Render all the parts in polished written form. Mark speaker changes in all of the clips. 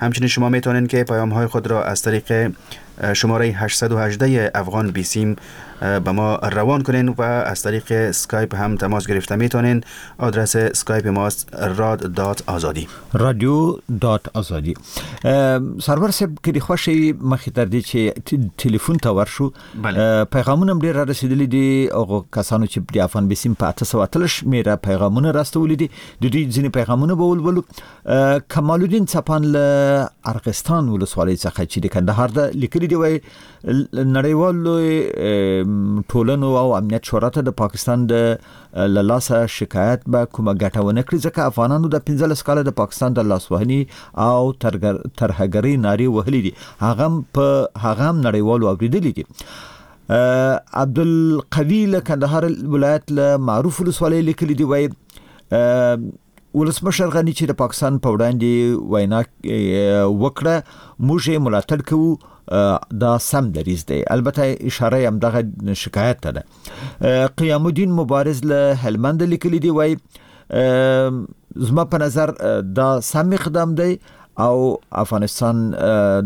Speaker 1: همچنین شما میتونین که پیام های خود را از طریق شماره 818 افغان بیسیم به ما روان کنین و از طریق اسکایپ هم تماس گرفته میتونین. آدرس اسکایپ ماست rad.azadi،
Speaker 2: رادیو dot ازادي. سرور صاحب، که د خوښې مخې تر دې چې ټلیفون ته ورشو، پیغامونه هم ډېر را رسېدلي دي. هغو کسانو چې د افغان بیسیم په 818 شمېره پیغامونه راستولي دي، د دوی ځینې پیغامونه به ولولو. کمال الدین څپان له ارغستان ولسوالۍ څخه چې د کندهار ده لیکلي دي، وایي نړیوالو ټولنو او امنیت شورا ته د پاکستان د له لاسه شکایت به کومه ګټه ونه کړي، ځکه افغانانو د 15 کاله د پاکستان د لاسوهنې او ترهګرۍ نارې وهلې دي، هغه هم نړیوالو اورېدلي دي. عبدالقوي له کندهار ولایت له معروف ولسوالۍ لیکلي دي، وایي ولسمشر غني چې د پاکستان په وړاندې وینا وکړه، موږ یې ملاتړ کوو، دا سم دریځ دی. البته اشاره یې همدغه شکایت ته ده. قیام الدین مبارز له هلمند لیکلي دي، وایي زما په نظر دا سم اقدام دی او افغانستان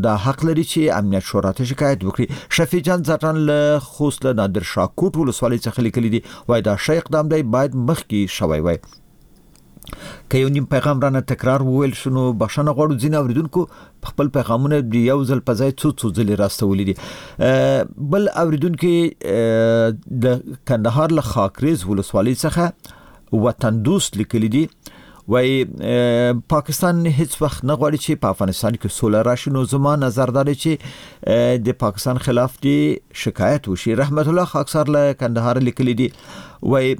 Speaker 2: دا حق لري چې امنیت شورا ته شکایت وکړي. شفیع جان ځدراڼ له خوست له نادر شاه کوټ ولسوالۍ څخه لیکلي دي، وایي دا ښه اقدام دی، باید مخکې شوی وای. که یو نیم پیغام رانه تکرار وویل شو نو بخښنه غواړو. ځینې اوریدونکو خپل پیغامونه د یو ځل په ځای څو څو ځلې راستولي دي. بل اوریدونکي د کندهار له خاکریز ولسوالۍ څخه وطن دوست لیکلي دي، وایي پاکستان هیڅ وخت نه غواړي چې په افغانستان کې سوله راشي، نو زما نظر دا دی چې د پاکستان خلاف دې شکایت وشي. رحمت الله خاکسار له کندهار لیکلي دي، وایي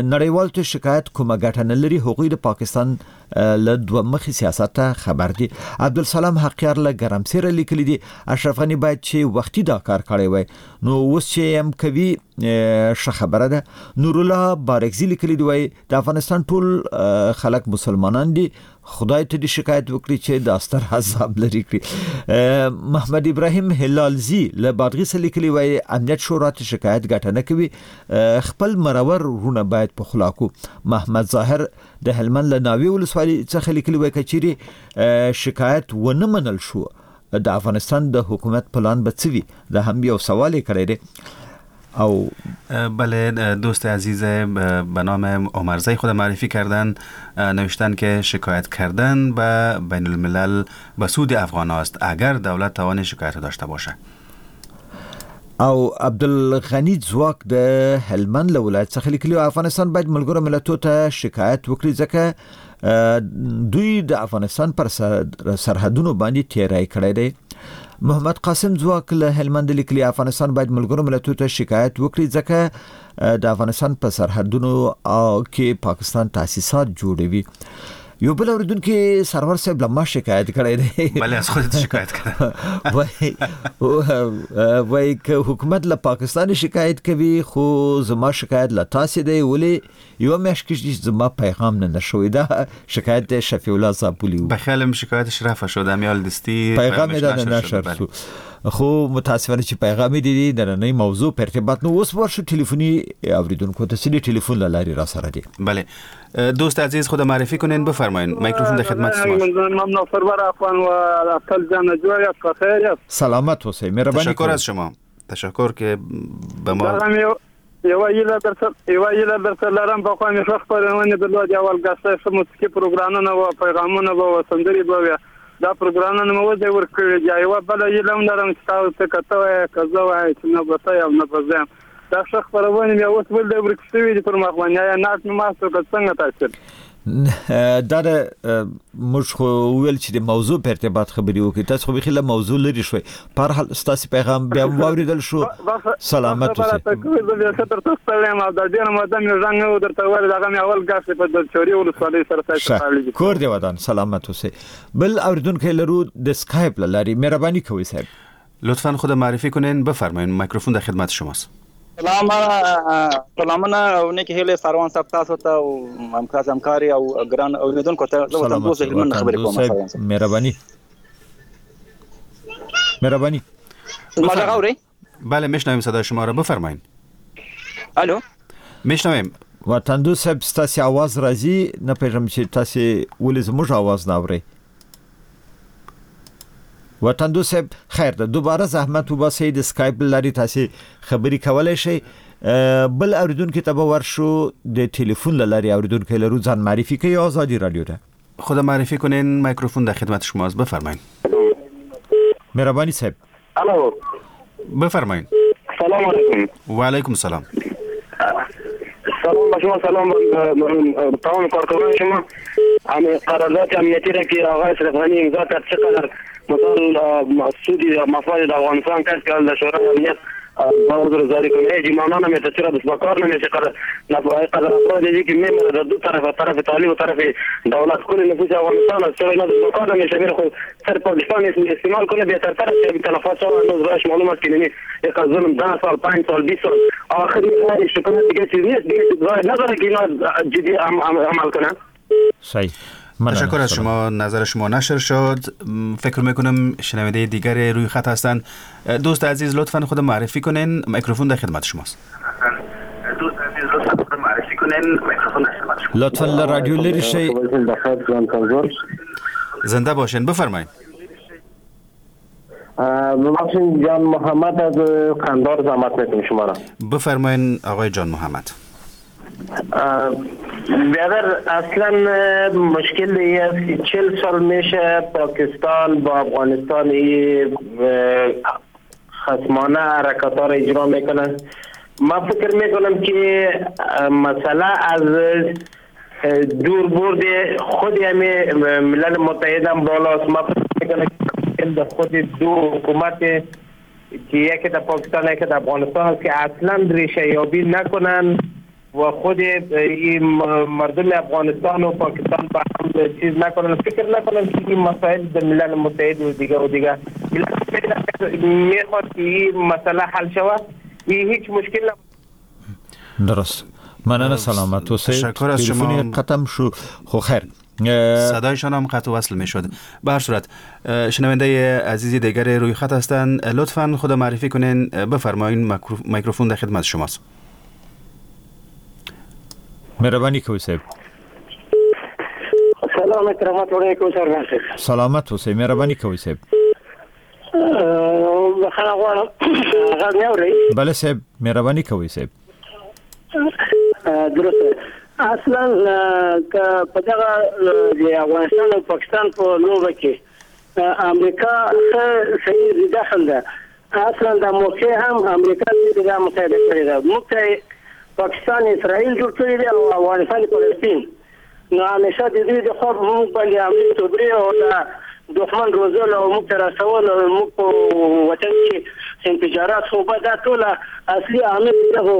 Speaker 2: نړیوال ته شکایت کومه ګټه نه لري، هغوی د پاکستان له دوه مخې سیاست ته خبر دي. عبدالسلام حقیار له ګرمسیره لیکلي دي، اشرف غني باید چې وختي دا کار کړی وای، نو اوس چې یې هم کوي ښه خبره ده. نورالله بارکزي لیکلي دي، وایي د افغانستان ټول خلک مسلمانان دي، خدای ته دې شکایت وکړي چې دا ستر عذاب لرې کړي. محمد ابراهیم هلالزي له بادغیسه لیکلي، وایي امنیت شورا ته شکایت ګټه نه کوي، خپل مرور وروڼه باید په خلا کړو. محمد ظاهر د هلمند له ناوې ولسوالۍ څخه لیکلي، وایي که چیرې شکایت ونه منل شو د افغانستان د حکومت پلان به څه وي؟ دا هم یو سوال یې کړی دی. او
Speaker 1: بله، دوست عزیز به نام عمرزی خود معرفی کردن، نوشتن که شکایت کردن به بین الملل به سود افغان است اگر دولت توان شکایت داشته باشه.
Speaker 2: او عبدالغنی ځواک د هلمند له ولایت څخه لیکلي، افغانستان باید ملګرو ملتو ته شکایت وکړي، ځکه دوی د افغانستان پر سرحدونو باندې تیری کړی دی. محمد قاسم ځواک له هلمند لیکلي، افغانستان باید ملګرو ملتو ته شکایت وکړي، ځکه د افغانستان په سرحدونو کې پاکستان تاسیسات جوړوي. یو بل اوریدونکي سرور صاحب له ما شکایت کړی دی.
Speaker 1: بله، از خودت شکایت کړی.
Speaker 2: وایي که حکومت له پاکستان شکایت کوي، خو زما شکایت له تاسې دی، ولې یوه میاشت کېږي چې زما پیغام نه نشوي. دا شکایت دی شفیع الله زابلی و.
Speaker 1: به خیالم شکایتش رفع شد، امیال دستی
Speaker 2: پیغام یې
Speaker 1: پیغامش
Speaker 2: دا
Speaker 1: نشر
Speaker 2: نشر
Speaker 1: شد. بله.
Speaker 2: شو. خو متاسفانه چې پیغام یې دی د نننۍ موضوع په ارتباط. نو اوس ورشو ټلیفوني اوریدونکو ته چې د ټلیفون له لارې را سره دي.
Speaker 1: بله، دوست عزیز خود معرفی کنین، بفرمایین، میکروفون در خدمت شماست.
Speaker 3: ممنون سرور افغان و اتل جان جوړ یاست، په خیر یاست؟
Speaker 2: سلامت اوسئ، مهرباني
Speaker 1: تشکر
Speaker 2: کوئ.
Speaker 1: از شما، تشکر که به ما
Speaker 3: دا هم یوه هیله درته، یوه هیله درته لرم. پخوا مې ښه خپرونې درلودې، اول ګسته ښه موسیقي پروګرامونه وو، پیغامونه به وو، سندرې به وې، دا پروګرامونه مې اوس ورکړي دي. یوه بله هیله هم لرم چې تاسو ته که ته وایې که زه وایم چې نه به ته یم نه به زه یم، دا ښه خپرونې مې اوس ولې ورکې شوې دي پر مخ باندې؟ آیا ناست مې ماست که څنګه تاسو؟
Speaker 2: دا د موږ خو وویل چې د موضوع په ارتباط خبرې وکړي، تاسو خو بیخي له موضوع لرې شوئ. په هر حال ستاسې پیغام بیا هم واورېدل شو. سلامت
Speaker 3: بخښه
Speaker 2: اوسئ.
Speaker 3: راته کوئ، زه بیا ښه درته ستړی یم او دا ډېره موده مې غږ نه و درته ویلی، دغه مې اول ګاښ دی په دلچوري ولسوالۍ سره تاسو
Speaker 2: ښه.
Speaker 3: تړلی دی.
Speaker 2: کور دې ودان، سلامت اوسئ. بل اورېدونکی لرو د سکایپ له لارې، مهرباني کوئ صاحب.
Speaker 1: لطفاً خود معرفي کنین، بفرمایین، میکروفون در خدمت شماست.
Speaker 4: سلامونه او نیکې هیلې ساروان صاحب تاسو ته او همکاري او ګران اورېدونکو ته. زه وطن
Speaker 2: سلامت
Speaker 4: دوست هلمند
Speaker 2: وطن
Speaker 4: خبرې
Speaker 2: دوست
Speaker 4: کوم،
Speaker 2: صاحب،
Speaker 4: ساروان صاحب.
Speaker 2: مهرباني، مهرباني.
Speaker 4: ما غږ اورئ؟
Speaker 1: بله، میشنویم صدای شما را، بفرمایین.
Speaker 4: الو؟
Speaker 1: میشنویم.
Speaker 2: وطن دوست صاحب، ستاسې اواز راځي، نه پوهېږم چې تاسې ولې زموږ اواز نه اورئ. وطن دوست صاحب خیر ده، دوباره زحمت وباسئ، د سکایپ له لارې تاسې خبرې کولی شئ. بل اوریدونکي ته به ورشو، د تلیفون له لارې اوریدونکی لرو، ځان معرفي کوي ازادي رادیو ته.
Speaker 1: خدا معرفي کنین، میکروفون در خدمت شماست، بفرمایید.
Speaker 2: مهربانی صاحب.
Speaker 5: الو،
Speaker 1: بفرمایید.
Speaker 5: سلام علیکم.
Speaker 1: و علیکم سلام.
Speaker 5: سلام به شما، سلام به تمام کارکنان شما. همه قرارداد امنیتی را که آقای اشرف غنی امضا کرد چقدر مثلا سودی یا مفاد در افغانستان کرد که در شورای امنیت باز کنه هیچ معنا نمیده، چرا بس کار نمیشه. قدر قدر افراد که میمره در دو طرف، طرف طالب و طرف دولت، کل نفوس افغانستان است، چرا اینا بس کار نمیشه؟ میره خود سر پاکستان استعمال کنه بهتر تر است. تلفات شو هنوز باش معلوم است که نمی یک ظلم 10 سال 5 سال 20 سال آخر شکایت دیگه چیز نیست، دیگه نداره که اینا جدی عمل کنن.
Speaker 2: صحیح.
Speaker 1: تشکر از شما، نظر شما نشر شد. فکر میکنم شنونده دیگر روی خط هستند. دوست عزیز لطفاً خود معرفی کنین، میکروفون در خدمت شماست. دوست عزیز لطفاً خود معرفی کنین، میکروفون در خدمت شماست.
Speaker 2: لطفاً رادیو لري شي.
Speaker 1: زنده باشین، بفرمایید.
Speaker 5: ببخشید جان محمد از قندار زحمت میکنم شما را.
Speaker 1: بفرمایید آقای جان محمد.
Speaker 5: بیادر اصلا مشکل ای است که 40 سال میشه پاکستان با افغانستان ای خصمانه حرکت ها را اجرا میکنن. ما فکر میکنم که مسئله از دور برد خود همی ملل متحد هم بالاست. ما فکر میکنم که خود دو حکومت که یکی در پاکستان یکی در افغانستان است که اصلا ریشه یابی نکنن و خود این مردم افغانستان و پاکستان با هم چیز نکنن، فکر نکنن که این مسائل در ملل متحد و دیگه و دیگه ملل متحد میخواد که این مسئله حل شود، این هیچ مشکل نه.
Speaker 2: درست. مننه، سلامت اوسئ.
Speaker 1: تشکر از شما.
Speaker 2: قطع شو، خو خیر
Speaker 1: صدایشان هم قطع وصل میشد. به هر صورت شنونده عزیزی دیگر روی خط هستند، لطفاً خود معرفی کنین، بفرمایید، میکروفون در خدمت شماست.
Speaker 2: مهربانی کوي صاحب.
Speaker 5: سلام رحمت علیکم سرور صاحب.
Speaker 2: سلامت اوسئ، مهربانی کوي صاحب.
Speaker 5: بخښنه غواړم، غږ مې اورئ؟
Speaker 2: بله صاحب، مهربانی کوي صاحب.
Speaker 5: درست. اصلا که په دغه د افغانستان او پاکستان په لوبه کې امریکا ښه صحیح دخل ده. اصلا د موقع هم امریکا دې دا مساعده کړې ده. موږ ته پاکستان اسرائیل جوړ کړی دی او افغانستان فلسطین. نو همیشه د دوی د خوا موږ باندې حملې توبرې او د دښمن روزل او موږ ته رسول او موږ په وطن کې انفجارات، خو به دا ټوله اصلي عامل دغو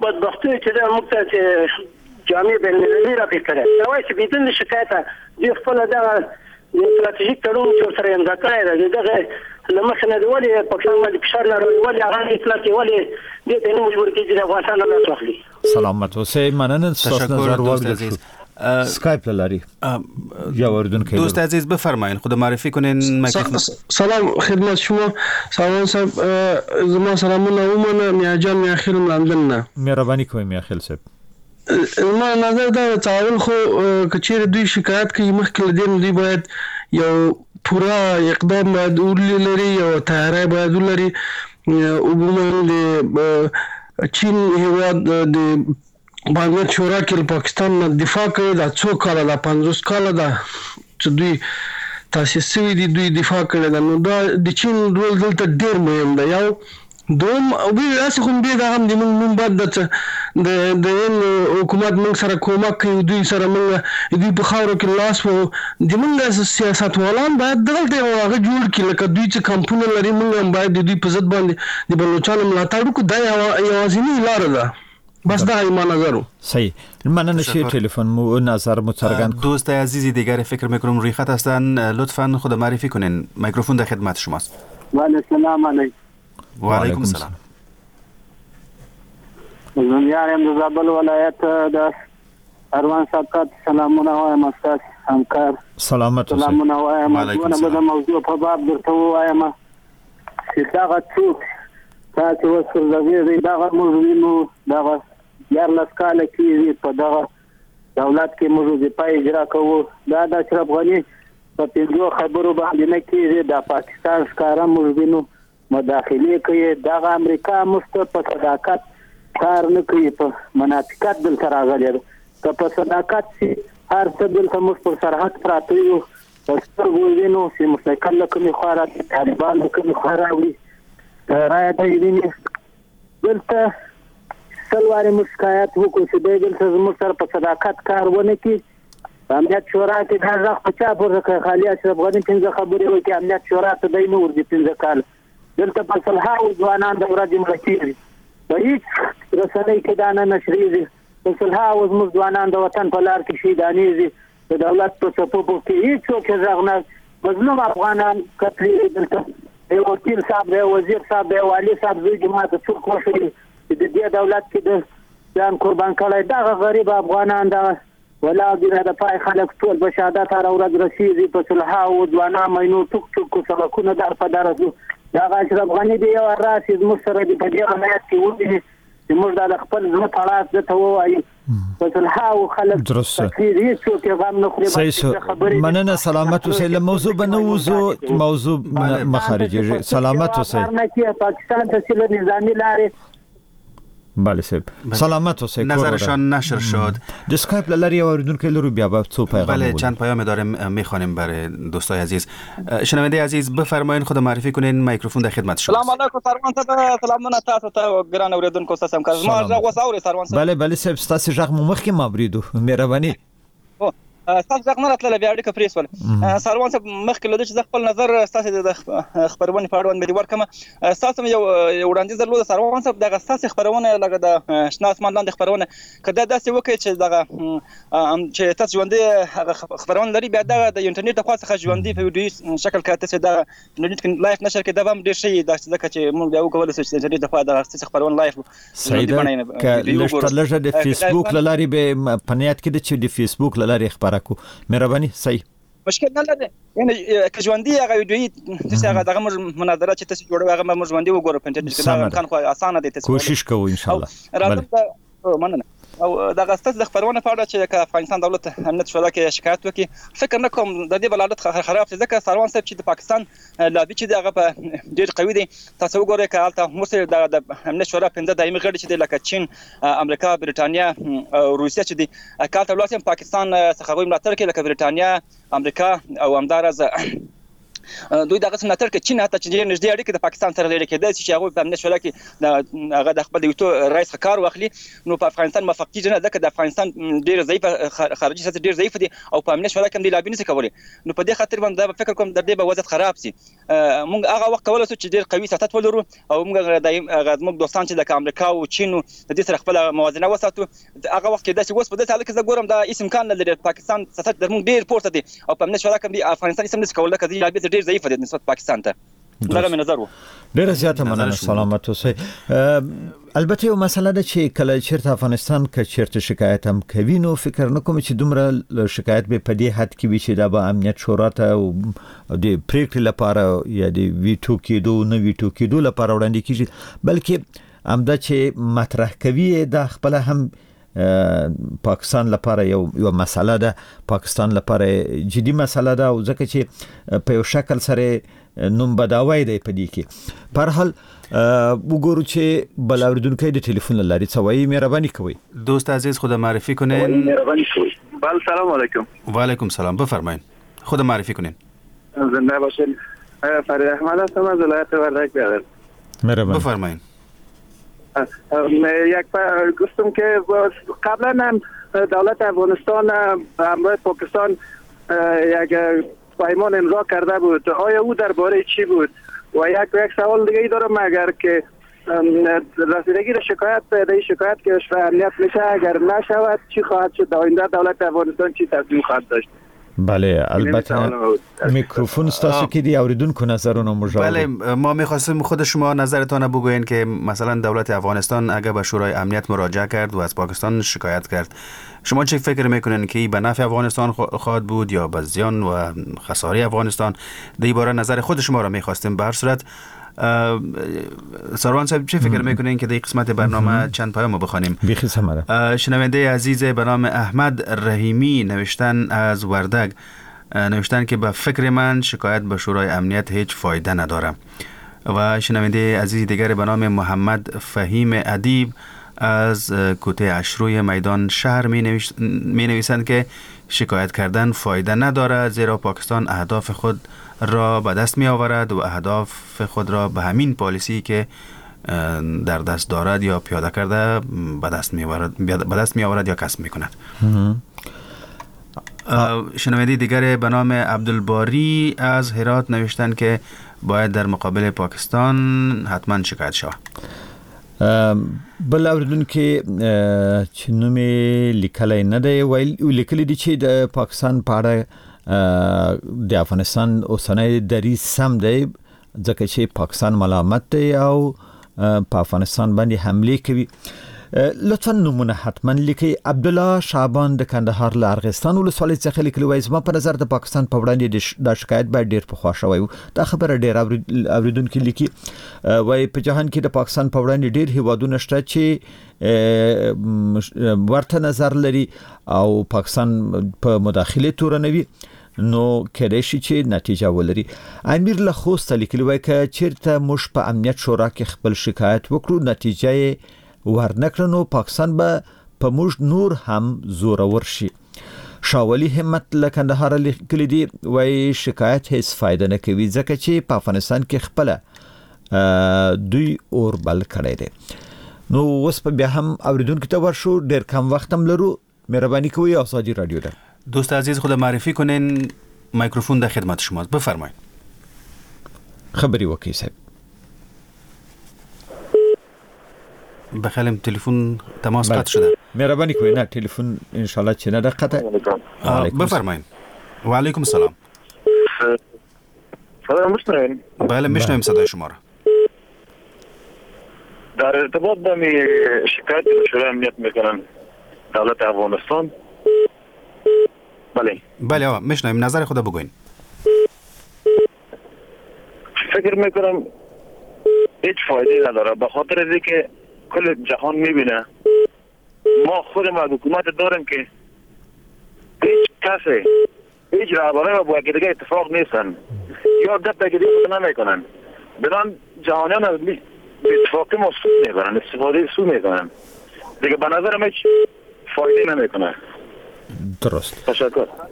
Speaker 5: بدبختیو چې ده موږ ته چې جامع بین المللي راپېښ کړی. دا وایي چې بدون له شکایته دوی خپله دغه د ستراتیژیک تړون چې ورسره امضا کړی دی د دغه له مخې نه ولې پاکستان باندې فشار نه راوړي، ولې هغه نه اطلاع کوي، ولې دې ته نه مجبور کېږي چې د افغانستان له لاس واخلي.
Speaker 2: سلامت اوسئ، مننه ستاسو نظر واورېدل شو. سکایپ لاری یا اوریدونکی
Speaker 1: دوست عزیز بفرمایید، خود معرفی کنین.
Speaker 6: سلام خدمت شما. سلام صاحب، زما سلامونه ومنه. میاجان میاخیل لندن نه.
Speaker 2: مهرباني کوئ میاخیل صاحب.
Speaker 6: زما نظر دا چې اول خو که چیرې دوی شکایت کوي مخکې له دې نو دوی باید یو پوره اقدام باید ولري، یو تیاری باید ولري. عموماً د چین هیواد د امنیت شورا کې له پاکستان نه دفاع کوي. دا څو کاله ده، 50 کاله ده چې دوی تاسیس شوي دي، دوی دفاع کړې ده. نو دا د چین رول دلته ډېر مهم دی. یو دوم هسې خو بیا دا هم د موږ نوم بد ده چې د هند حکومت موږ سره کومک کوي، دوی سره موږ دوی په خاورو کې لاس وهو. د موږ سیاستوالان باید دغلته یو هغه جوړ کړي، لکه دوی چې کمپونه لري، موږ هم باید د دوی په ضد باندې د بلوچانو ملاتړ وکړو. دا یوازینۍ لاره ده. بس دا ما نظر و.
Speaker 2: صحیح. مننه چې تلفن مو نظر مو څرګند.
Speaker 1: دوست عزیزی دیگر فکر میکنم روی خط هستن، لطفاً خود معرفی کنین، میکروفون در خدمت شماست.
Speaker 3: بله، سلام علیکم.
Speaker 1: و علیکم السلام.
Speaker 3: زه یم د زابل ولایت د اروان صاحب سلامونه وایم، استاد همکار
Speaker 2: سلامت اوسئ.
Speaker 3: سلامونه وایم. دونه به د موضوع په باب درته ووایم چې دغه څوک تاسې اوس غږېږئ، دغه موږ وینو دغه 14 کاله کېږي په دغه دولت کې موږ وظیفه اجرا کوو. دا د اشرف غني
Speaker 5: په 5 خبرو باندې نه کېږي. دا پاکستان ښکاره موږ وینو مداخلې کوي. دغه امریکا موږ ته په صداقت کار نه کوي، په منافقت دلته راغلې ده. که په صداقت شي هر څه دلته موږ پر سرحد پراته یو، په سترګو وینو چې موټرسایکل له کومې خوا راځي، طالبان له کومې خوا راوړي، رایه دی ویني. دلته 100 وارې موږ شکایت وکړو چې دی دلته زموږ سره په صداقت کار ونه کړي. امنیت شورا کې دا غږ په چا پورته کړ؟ خالي اشرف غني 5 خبرې وکړې، امنیت شورا ته دی نه ورځي 5 کاله. دلته په سلهاوو ځوانان د ورځې مړه کېږي، په هېڅ رسنۍ کې دا نه نشرېږي. په سلهاوو زموږ ځوانان د وطن په لار کې شهیدانېږي، د دولت په صفوفو کې هېڅوک یې غږ نه. مظلوم افغانان قتلېږي دلته. یو وکیل صاحب دی، وزیر صاحب دی، والي صاحب زوی دې ماته څوک وښيي چې د دې دولت کې د ځان قربان کړی. دغه غریب افغانان دغه ولا دي د پای خلک ټول په شهادت هره ورځ رسېږي. په سلهاوو ځوانان مینو ټوک ټوک سړکونه در په در ځو. دغه اشرف غني دې یو راشي زموږ سره دې په دې ولایت کې وویني چې موږ دا د خپل زړه پړاس ده ته ووایو. په سلهاوو خلک تکلیف هېڅوک یې غم نه خوري.
Speaker 2: مننه، سلامت اوسئ. له موضوع به نه وځو، موضوع مه خارجېږي. سلامت اوسئ.
Speaker 5: پاکستان ته چې له نظامي لارې
Speaker 2: بله صاحب، سلامت اوسئ.
Speaker 1: نظرشان نشر شد.
Speaker 2: د اسکایپ له لارې یو اوریدونکی لرو، بیا به څو پیغام.
Speaker 1: بله چند پیام داریم میخوانیم برای دوستای عزیز. شنونده عزیز بفرمایین، خود معرفی کنین، میکروفون در خدمت شما.
Speaker 4: سلام علیکم سروان صاحب، سلامونه تاسو ته ګران اوریدونکو. تاسو هم زما غږ اوس اورئ سروان صاحب؟
Speaker 2: بله بله صاحب، ستاسو غږ مو مخکې ما اورېدو، مهرباني.
Speaker 4: ستاسو غږ نه راتلله، بیا اړیکه پرې شول. سروان صاحب مخکې له دې چې زه خپل نظر ستاسو د خپرونې په اړوند باندې ورکړم، ستاسو یو وړاندیز درلود سروان صاحب. دغه ستاسو خپرونه لکه د شنه اسمان لاندې خپرونه، که دا داسې وکړئ چې دغه چې تاسو ژوندۍ هغه خپرونه لري، بیا دغه د انټرنیټ له خوا څخه ژوندۍ په ویډیويي شکل که تاسو دغه انټرنیټ کې live نشر کړئ، دا به هم ډېر ښه وي. داسې ځکه چې موږ بیا وکولی شو چې د انټرنیټ له خوا دغه ستاسو خپرونه live
Speaker 2: صحیح ده. که لږ تر لږه د فیسبوک له لارې به په نیت کې ده چې د فیسبوک له لارې خپره کو، مهرباني. صحیح،
Speaker 4: مشکل نه لري. یعنی که ژوندۍ هغه ویډیويي تاسو هغه دغه موږ مناظره چې تاسو جوړوئ هغه موږ ژوندۍ وګورو په انټرنیټ کې، دا امکان خو اسانه دی. تاسو
Speaker 2: کوشش کوو ان شاء الله.
Speaker 4: راځم، مننه. او دغه ستاسو د خپرونې په اړه چې که افغانستان دولت امنیت شورا کې شکایت وکړي، فکر نه کوم د دې بلالت خراب شي، ځکه سروان صاحب چې د پاکستان لابي چې دی هغه په ډېر قوي دی. تاسو وګورئ که هلته اوس د امنیت شورا 5 دایمي غړي چې دی لکه چین، امریکا، برېټانیا او روسیه چې دی، که هلته ولاړ شي پاکستان څخه هغوی ملاتړ کوي، لکه برېټانیا، امریکا او همداراز دوی دغه څه ملاتړ کوي. چین حتی چې ډېر نږدې اړیکې د پاکستان سره لري، کېدای شي چې هغوی په امنیت شورا کې هغه د خپل ویټو رای څخه کار واخلي، نو په افغانستان موفق کېږي نه، ځکه د افغانستان ډېر ضعیف خارجي سیاست ډېر ضعیف دی او په امنیت شورا کې هم دوی لابي نشي کولی. نو په دې خاطر باندې دا فکر کوم د دې به وضعیت خراب شي. موږ هغه وخت کولی شو چې ډېر قوي سیاست ولرو او موږ هغه زموږ دوستان چې لکه امریکا او چین د دې سره خپله موازنه وساتو. هغه وخت کېدای شي. اوس په داسې حالت کې زه ګورم دا هېڅ امکان نه لري. پاکستان سیاست در موږ ډېر پورته دی او په امنیت شورا کې افغانستان هېڅ هم نشي کولی، ځکه دوی لابي ډېر ضعیف دی نسبت پاکستان ته. دغه مې نظر و.
Speaker 2: ډېره زیاته مننه، سلامت اوسئ. البته یو مسله ده چې کله چېرته افغانستان که چېرته شکایت هم کوي، نو فکر نه کوم چې دومره شکایت به په دې حد کې وي چې دا به امنیت شورا ته د پرېکړې لپاره یا د ویټو کېدو نه ویټو کېدو لپاره وړاندې کېږي، بلکې همدا چې مطرح کوي دا خپله هم پاکستان لپاره یو مسله ده، پاکستان لپاره جدي مسله ده، او ځکه چې په یو شکل سره نوم بداوی دی په دې کې. په هر حال وګورو چې بل اوریدونکی د ټلیفون له لارې څه وایي. مهرباني کوئ
Speaker 1: دوست عزیز، خود معرفی کنین.
Speaker 3: بله، سلام علیکم.
Speaker 1: و علیکم سلام، بفرمایین، خود معرفی کنین.
Speaker 3: زنده باشین. فرید احمد هستم از ولایت وردک. برادر
Speaker 2: مهرباني،
Speaker 1: بفرمایین.
Speaker 3: یک گفتم که قبلا هم دولت افغانستان همراه پاکستان یک پیمان امضا کرده بود، آیا او درباره چی بود؟ و یک سوال دیگه ای دارم، اگر که رسیدگی شکایت به شکایت که امنیت میشه اگر نشود چی خواهد شد؟ آینده دولت افغانستان چی تصمیم خواهد داشت؟
Speaker 2: بله، البته میکروفون ستاسو کې دی اوریدونکو نظرونه موږ.
Speaker 1: بله، ما میخواستیم خود شما نظرتان بگوین که مثلا دولت افغانستان اگر به شورای امنیت مراجعه کرد و از پاکستان شکایت کرد، شما چه فکر میکنین که به نفع افغانستان خواهد بود یا به زیان و خساره افغانستان؟ در باره نظر خود شما را میخواستیم. به هر صورت سروان صاحب چه فکر میکنین که در قسمت برنامه چند پیامو بخوانیم؟
Speaker 2: بیخی سمره.
Speaker 1: شنونده عزیز به نام احمد رحیمی نوشتن از وردگ، نوشتن که به فکر من شکایت به شورای امنیت هیچ فایده نداره. و شنونده عزیز دیگر به نام محمد فهیم ادیب از کوته اشروی میدان شهر می نویسند که شکایت کردن فایده ندارد، زیرا پاکستان اهداف خود را به دست می آورد و اهداف خود را به همین پالیسی که در دست دارد یا پیاده کرده به دست می آورد یا کسب می کند. شنونده دیگر به نام عبدالباری از هرات نوشتن که باید در مقابل پاکستان حتما شکایت شود.
Speaker 2: بل اوریدونکي چې نوم یې لیکلی نه دی، ویل لیکلی دی چې د پاکستان په اړه د افغانستان اوسنی دریځ سم دی، ځکه چې پاکستان ملامت دی او په افغانستان باندې حملې کوي. لطفا نومونه حتما لیکئ. عبدالله شعبان د کندهار له ارغستان ولسوالۍ څخه لیکلي، وایي زما په نظر د پاکستان په وړاندې دا شکایت باید ډېر پخوا شوی و. دا خبره ډېر اوریدونکي لیکي. وایي په جهان کې د پاکستان په وړاندې ډېر هیوادونه شته چې ورته نظر لري او پاکستان په مداخلې تورنوي، نو کېدای شي چې نتیجه ولري. امیر له خوسته لیکلي، وایي که چېرته موږ په امنیت شورا کې خپل شکایت وکړو نتیجه یې ورنکړه نو پاکستان به په موږ نور هم زورور شي. شاولي همت له کندهاره لیکلي دي، وایي شکایت هیڅ فایده نه کوي، ځکه چې په افغانستان کې خپله دوی اور بل کړی دی. نو اوس په بیا هم اوریدونکو ته ورشو، ډېر کم وخت هم لرو. مهرباني کوئ ازادي رادیو ده.
Speaker 1: دوست عزیز خود معرفی کنین، میکروفون در خدمت شماست، بفرمایید.
Speaker 2: خبرې وکړئ صاحب.
Speaker 1: بخیلم تلفن تماس قطع شده.
Speaker 2: مهربانی کوئ. نه تلفن ان شاء الله چې نه ده قطع.
Speaker 1: بفرمایید. و علیکم السلام.
Speaker 3: سلام، میشنوین؟
Speaker 1: بله میشنویم صدای شما را.
Speaker 3: در ارتباط با می شکایت به شورای امنیت میکنن دولت افغانستان. بله
Speaker 1: بله آقا میشنویم، نظر خود بگوین.
Speaker 3: فکر میکنم هیچ فایده نداره، به خاطر از اینکه کل جهان میبینه ما خود ما حکومت داریم که هیچ کسی هیچ رهبرای با دیگه اتفاق نیستن یا گپ دیگه نمیکنن. بنان جهانیان از اتفاقی ما سود میبرن، استفاده سود میکنن دیگه. به نظر من هیچ فایده نمیکنه.
Speaker 2: درست.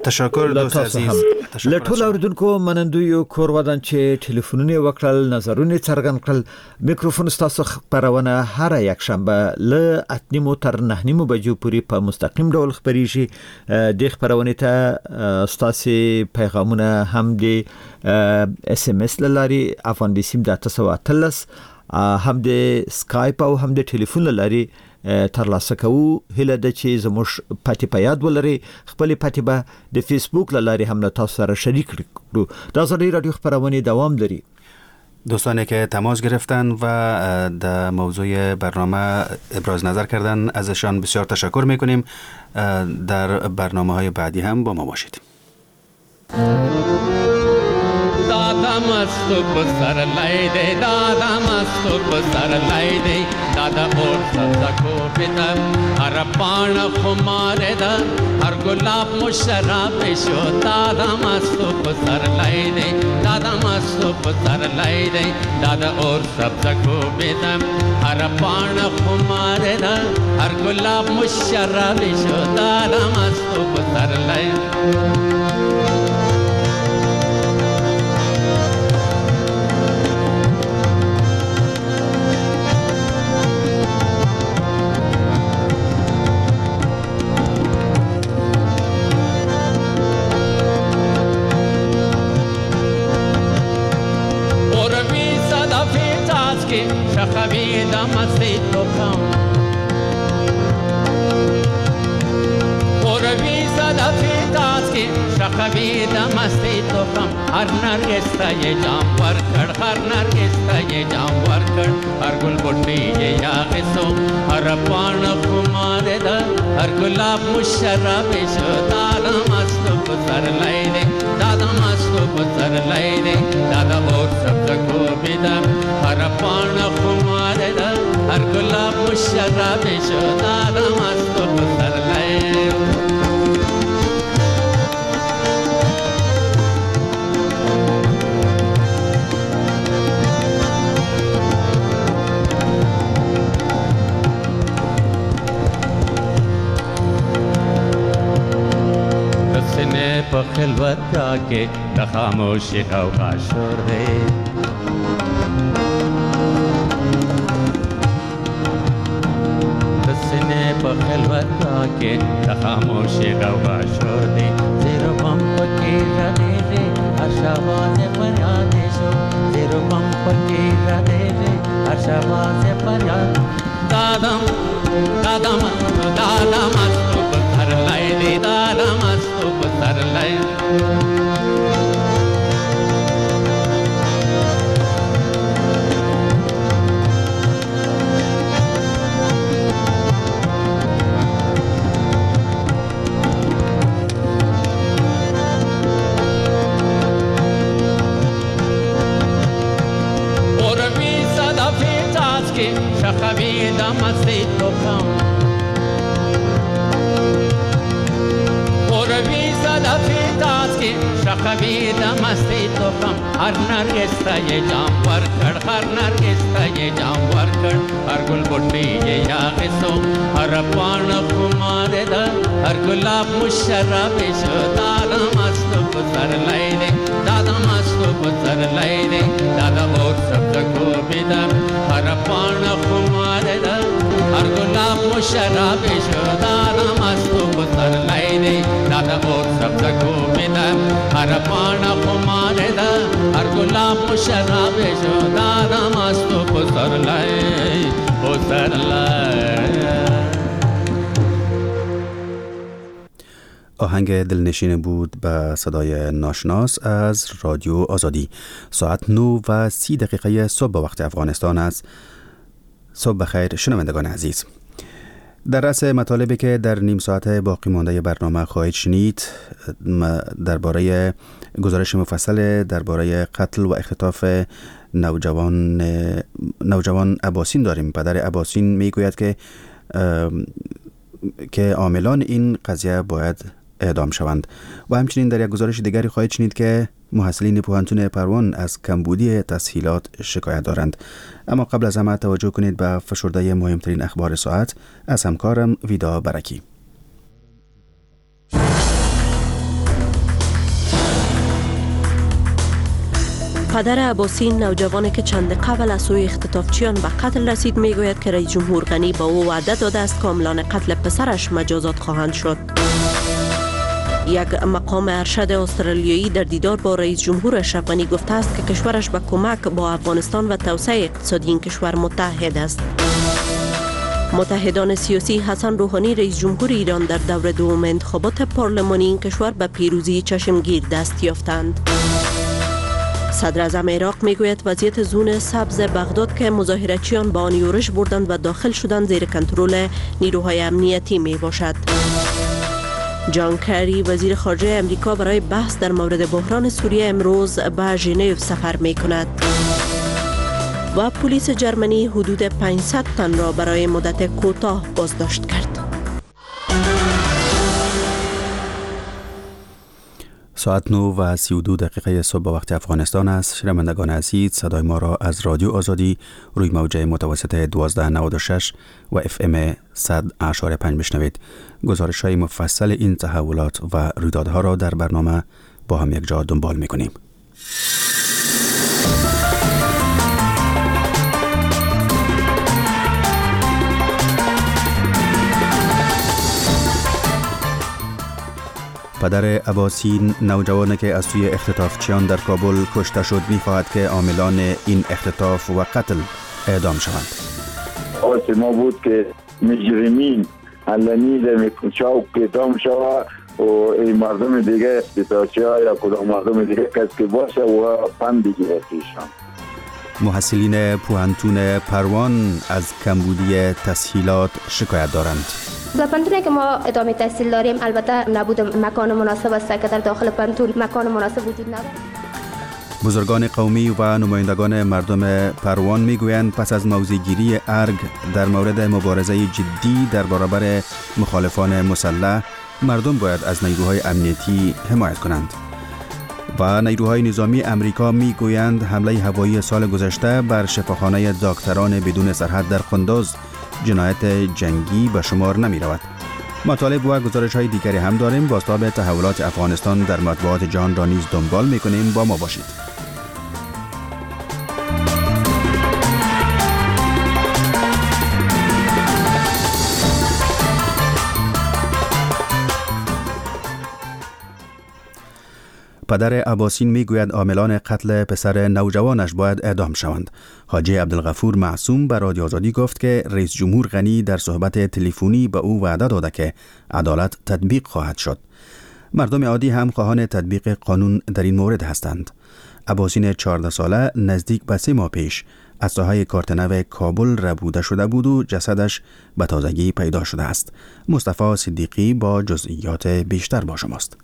Speaker 1: تشکر دوست عزیز.
Speaker 2: له ټولو اوریدونکو منندوی کور ودان چې ټلیفونونه وکړل، نظرونه څرګند کړل. میکروفون ستاسو خپرونه هره یکشنبه له 8:30 تر 9:30 بجو پورې په مستقیم ډول خپریږي. دې خپرونې ته ستاسو پیغامونه هم د اس ام اس له لارې افغان بیسیم د 818، هم د سکایپ او هم د ټلیفون له لارې ترلاسه کوو. هیله ده چې زموږ پتې په یاد ولرئ. خپلې پتې به د فیسبوک له لارې هم له تاسو سره شریک کړو. د ازادي راډیو خپرونې دوام لري.
Speaker 1: دوستانی که تماس گرفتن و در موضوع برنامه ابراز نظر کردن ازشان بسیار تشکر میکنیم. در برنامه های بعدی هم با ما باشید.
Speaker 7: دادا مستو پسرلی دی، دادا مستو پسرلی دی، دادا اور سبزه کوبیده، هر پاڼه خماره ده، هر ګلاب مشرب شو. دادا مستو پسرلی دی، دادا مستو پسرلی دی، دادا اور سبزه کوبیده، هر پاڼه خماره ده، هر ګلاب مشرب شو. دادا مستو پسرلی. هر نرگس ته یې جام ورکړ، هر نرگس ته یې جام ورکړ، هر ګل بوټی یې یاغي سو، هر پاڼه خماره ده، هر ګلاب مشرب شو. دادا مستو پسرلی دی، دادا مستو پسرلی دی، دادا اور سبزه کوبي ده، هر پاڼه خماره ده، هر ګلاب مشرب شو. دادا مستو پسرلی. خلوتګاه کې د خاموشي غوغا شور دی. د سینې په خلوتګاه کې د خاموشي غوغا شور دی. زیر بم پکې غږېږي هر شواز فریاد شو، زیر بم پکې غږېږي هر شواز فریاد. دادم دادم دادم مستو پسرلی دی، دادم مستو پسرلی. شخوي د مستۍ تخم اوروي صدفې څاڅکي، شخوي د مستۍ تخم. هر نرګس ته یې جام ورکړ، هر نرګس ته یې جام ورکړ. هر ګل بوټی یې یاغي سو، هر پاڼه خمارې ده، هر ګلاب مشرب شو. دا د مستو پسرلی دی، دا د مستو پسرلی دی، دا د اور سبز ګوبي ده، هر پاڼه خمارې ده، هر ګلاب مشرب شو. دا د مستو پسرلی دی، دا د اور سبز ګوبي ده، هر پاڼه خمارې ده، هر ګلاب مشرب شو. دا د مستو پسرلی پسرلی.
Speaker 1: آهنگ دلنشین بود به صدای ناشناس از رادیو آزادی. ساعت 9:30 صبح به وقت افغانستان است. صبح بخیر شنوندگان عزیز. در رأس مطالبی که در نیم ساعت باقی مانده برنامه خواهید شنید، درباره گزارش مفصل درباره قتل و اختطاف نوجوان اباسین داریم. پدر اباسین میگوید که عاملان این قضیه باید اعدام شوند. و همچنین در یک گزارش دیگری خواهید شنید که محصلین پوهنتون پروان از کمبودی تسهیلات شکایت دارند. اما قبل از همه توجه کنید به فشرده مهمترین اخبار ساعت از همکارم ویدا برکی.
Speaker 8: پدر عباسین، نوجوانی که چند قبل از سوی اختطافچیان به قتل رسید، میگوید که رئیس جمهور غنی با او وعده داده است که عاملان قتل پسرش مجازات خواهند شد. یک مقام ارشد استرالیایی در دیدار با رئیس جمهور اشرف غنی گفته است که کشورش به کمک با افغانستان و توسعه اقتصادی این کشور متعهد است. متحدان سیاسی حسن روحانی رئیس جمهور ایران در دور دوم انتخابات پارلمانی این کشور به پیروزی چشمگیر دست یافتند. صدر اعظم عراق میگوید وضعیت زون سبز بغداد که مظاهره‌چیان با آن یورش بردند و داخل شدند زیر کنترل نیروهای امنیتی می باشد. جان کری وزیر خارجه امریکا برای بحث در مورد بحران سوریه امروز به ژنو سفر می کند. و پلیس جرمنی حدود 500 تن را برای مدت کوتاه بازداشت کرد.
Speaker 1: ساعت 9:32 صبح به وقت افغانستان است. شنوندگان عزیز، صدای ما را از رادیو آزادی روی موج متوسط 1296 و اف ام 100.5 بشنوید. گزارش های مفصل این تحولات و رویدادها را در برنامه با هم یک جا دنبال می‌کنیم. پدر عباسین، نوجوانی که از سوی اختطافچیان در کابل کشته شد، می‌خواهد که عاملان این اختطاف و قتل اعدام شوند.
Speaker 9: خواست ما بود که مجرمین علنی در چوک اعدام شود و این مردم دیگه اختطافچی‌ها یا کدام مردم دیگه کس که باشه و پند بگیره پیشان.
Speaker 1: محصلین پوهنتون پروان از کمبودی تسهیلات شکایت دارند.
Speaker 10: در پوهنتونی که ما ادامه تحصیل داریم البته نبود مکان مناسب است که در داخل پوهنتون مکان مناسب وجود ندارد.
Speaker 1: بزرگان قومی و نمایندگان مردم پروان میگویند پس از موضع‌گیری ارگ در مورد مبارزه جدی در برابر مخالفان مسلح، مردم باید از نیروهای امنیتی حمایت کنند. و نیروهای نظامی امریکا میگویند حمله هوایی سال گذشته بر شفاخانه دکتران بدون سرحد در قندوز جنایت جنگی به شمار نمی رود. مطالب و گزارش های دیگری هم داریم. بازتاب تحولات افغانستان در مطبوعات جهان را نیز دنبال میکنیم. با ما باشید. پدر عباسین میگوید عاملان قتل پسر نوجوانش باید اعدام شوند. حاجی عبدالغفور معصوم به رادیو آزادی گفت که رئیس جمهور غنی در صحبت تلفنی به او وعده داده که عدالت تطبیق خواهد شد. مردم عادی هم خواهان تطبیق قانون در این مورد هستند. عباسین 14 ساله نزدیک به 3 ماه پیش از ساحه کارتنو کابل ربوده شده بود و جسدش به تازگی پیدا شده است. مصطفی صدیقی با جزئیات بیشتر با شماست.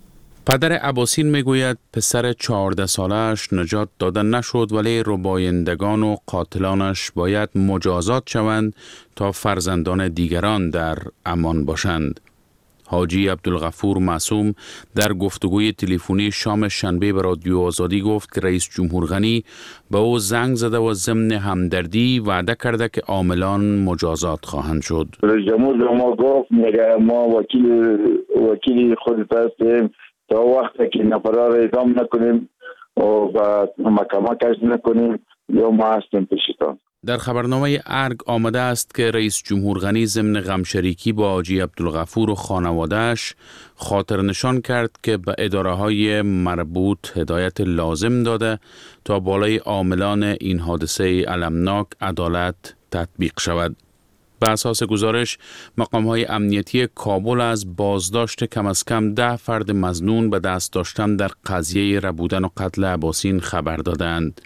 Speaker 11: پدر عباسین میگوید پسر 14 سالش نجات داده نشد، ولی ربایندگان و قاتلانش باید مجازات شوند تا فرزندان دیگران در امان باشند. حاجی عبدالغفور معصوم در گفتگوی تلفنی شام شنبه به رادیو آزادی گفت که رئیس جمهور غنی به او زنگ زده و ضمن همدردی وعده کرده که عاملان مجازات خواهند شد.
Speaker 9: رئیس جمهور به ما گفت میگه ما وکیل خودت هستیم، تا وقتی که نفرها را اعدام نکنیم و محکمه کش نکنیم یا ما هستیم پیشتان.
Speaker 11: در خبرنامه ارگ آمده است که رئیس جمهور غنی ضمن غمشریکی با حاجی عبدالغفور و خانواده‌اش خاطر نشان کرد که به اداره های مربوط هدایت لازم داده تا بالای عاملان این حادثه المناک عدالت تطبیق شود. به اساس گزارش، مقام های امنیتی کابل از بازداشت کم از کم 10 فرد مظنون به دست داشتن در قضیه ربودن و قتل عباسین خبر دادند.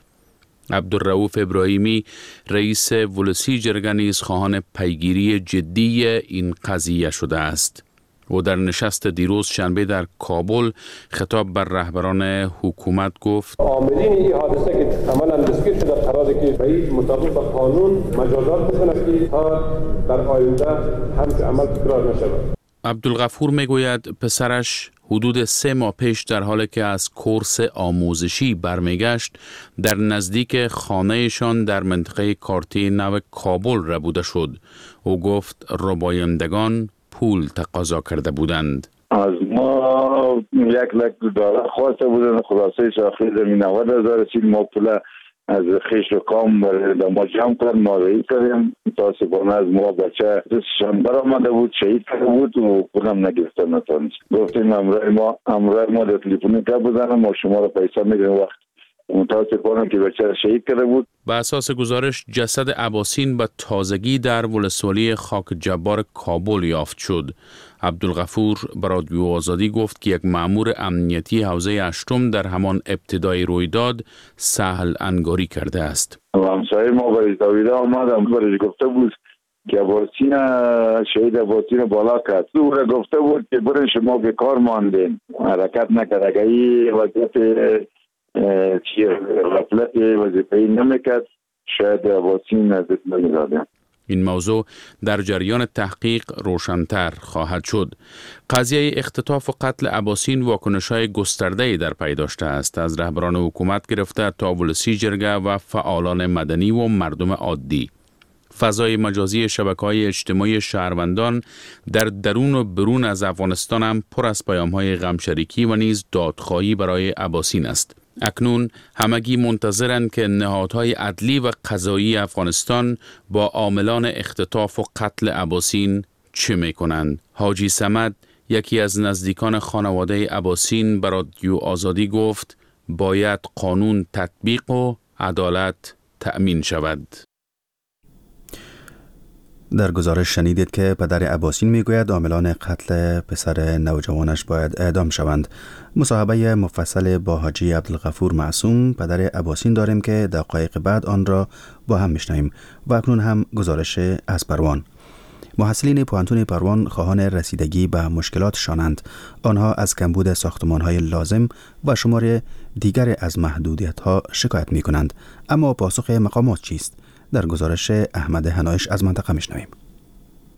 Speaker 11: عبدالرؤوف ابراهیمی رئیس ولسی جرگه نیز خواهان پیگیری جدی این قضیه شده است. او در نشست دیروز شنبه در کابل خطاب بر رهبران حکومت گفت:
Speaker 12: عاملین این حادثه که عملاً دستگیر شده قراره که به مطابق با قانون مجازات بشن که تا در آینده همچون عمل تکرار نشود.
Speaker 11: عبدالغفور میگوید پسرش حدود 3 ماه پیش در حالی که از کورس آموزشی برمیگشت در نزدیک خانهشان در منطقه کارتی نو کابل ربوده شد. او گفت ربایندگان پول تقاضا کرده بودند.
Speaker 9: از ما 1 لک دلار خواسته بودند. خلاصه آخری زمین 90,000 رسید. ما پول از خیش و کام برای ما جمع کرد، ما رایی کردیم. متاسفانه از ما بچه دستشان برآمده بود، شهید کرده بود و پولم نگرفته نتانست. گفتیم امرای ما در تلفنی گپ بزنم، ما شما رو پیسه میدیم. وقت متاسفانه که بچه شهید کرده بود.
Speaker 11: به اساس گزارش، جسد عباسین به تازگی در ولسوالی خاک جبار کابل یافت شد. عبدالغفور به رادیو آزادی گفت که یک مأمور امنیتی حوزه هشتم در همان ابتدای رویداد سهل انگاری کرده است.
Speaker 9: همسایه ما برای دویده آمد، برای گفته بود که عباسین شهید عباسین بالا کرد. او را گفته بود که برین، شما به کار ماندین. حرکت نکرد. اگر این وضعیت چی غفلت وظیفه‌ای نمیکرد، شاید عباسین از دست نمیدادیم.
Speaker 11: این موضوع در جریان تحقیق روشنتر خواهد شد. قضیه اختطاف و قتل عباسین واکنش های گسترده در پی داشته است. از رهبران حکومت گرفته تا ولسی جرگه و فعالان مدنی و مردم عادی. فضای مجازی شبکه های اجتماعی شهروندان در درون و برون از افغانستان هم پر از پیام های غمشریکی و نیز دادخواهی برای عباسین است. اکنون همگی منتظرند که نهادهای عدلی و قضایی افغانستان با عاملان اختطاف و قتل عباسین چه میکنند. حاجی صمد، یکی از نزدیکان خانواده عباسین، به رادیو آزادی گفت باید قانون تطبیق و عدالت تأمین شود.
Speaker 1: در گزارش شنیدید که پدر عباسین میگوید عاملان قتل پسر نوجوانش باید اعدام شوند. مصاحبه مفصل با حاجی عبدالغفور معصوم، پدر عباسین، داریم که دقایق بعد آن را با هم میشنویم و اکنون هم گزارش از پروان. محصلین پوهنتون پروان خواهان رسیدگی به مشکلاتشانند. آنها از کمبود ساختمان های لازم و شمار دیگر از محدودیت ها شکایت می کنند. اما پاسخ مقامات چیست؟ در گزارش احمد هنایش از منطقه میشنویم.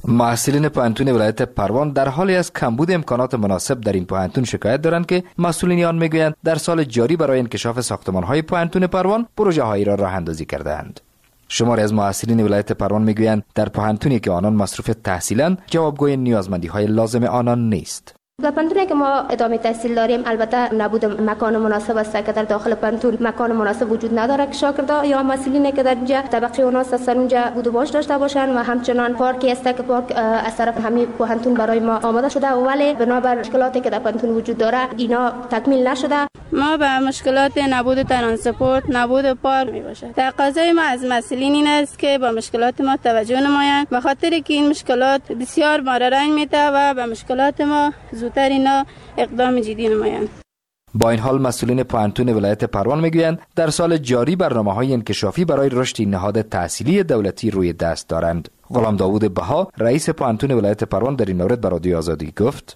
Speaker 13: محصلین پوهنتون ولایت پروان در حالی از کمبود امکانات مناسب در این پوهنتون شکایت دارند که مسئولین آن میگویند در سال جاری برای انکشاف ساختمان‌های پوهنتون پروان پروژه هایی را راه اندازی کرده‌اند. شماری از محصلین ولایت پروان میگویند در پوهنتونی که آنان مصروف تحصیلند جوابگوی نیازمندی های لازم آنان نیست.
Speaker 10: در پوهنتونی که ما ادامه تحصیل داریم البته نبود مکان مناسب است که در داخل پوهنتون مکان مناسب وجود نداره که شاگردا یا محصلین که در اینجا طبقه اوناس هستن اونجا بود و باش داشته باشن و همچنان پارکی است که پارک از طرف همین پوهنتون برای ما آماده شده، ولی بنابر مشکلاتی که در پوهنتون وجود داره اینا تکمیل نشده.
Speaker 14: ما به مشکلات نبود ترانسپورت، نبود پارک می باشد. تقاضای ما از مسئولین این است که با مشکلات ما توجه نمایند، به خاطر که این مشکلات بسیار ما را رنج میده و به مشکلات ما زودتر اینا اقدام جدی نمایند.
Speaker 13: با این حال مسئولین پوهنتون ولایت پروان میگویند در سال جاری برنامه‌های انکشافی برای رشد نهاد تحصیلی دولتی روی دست دارند. غلام داوود بها رئیس پوهنتون ولایت پروان در این مورد به رادیو آزادی گفت: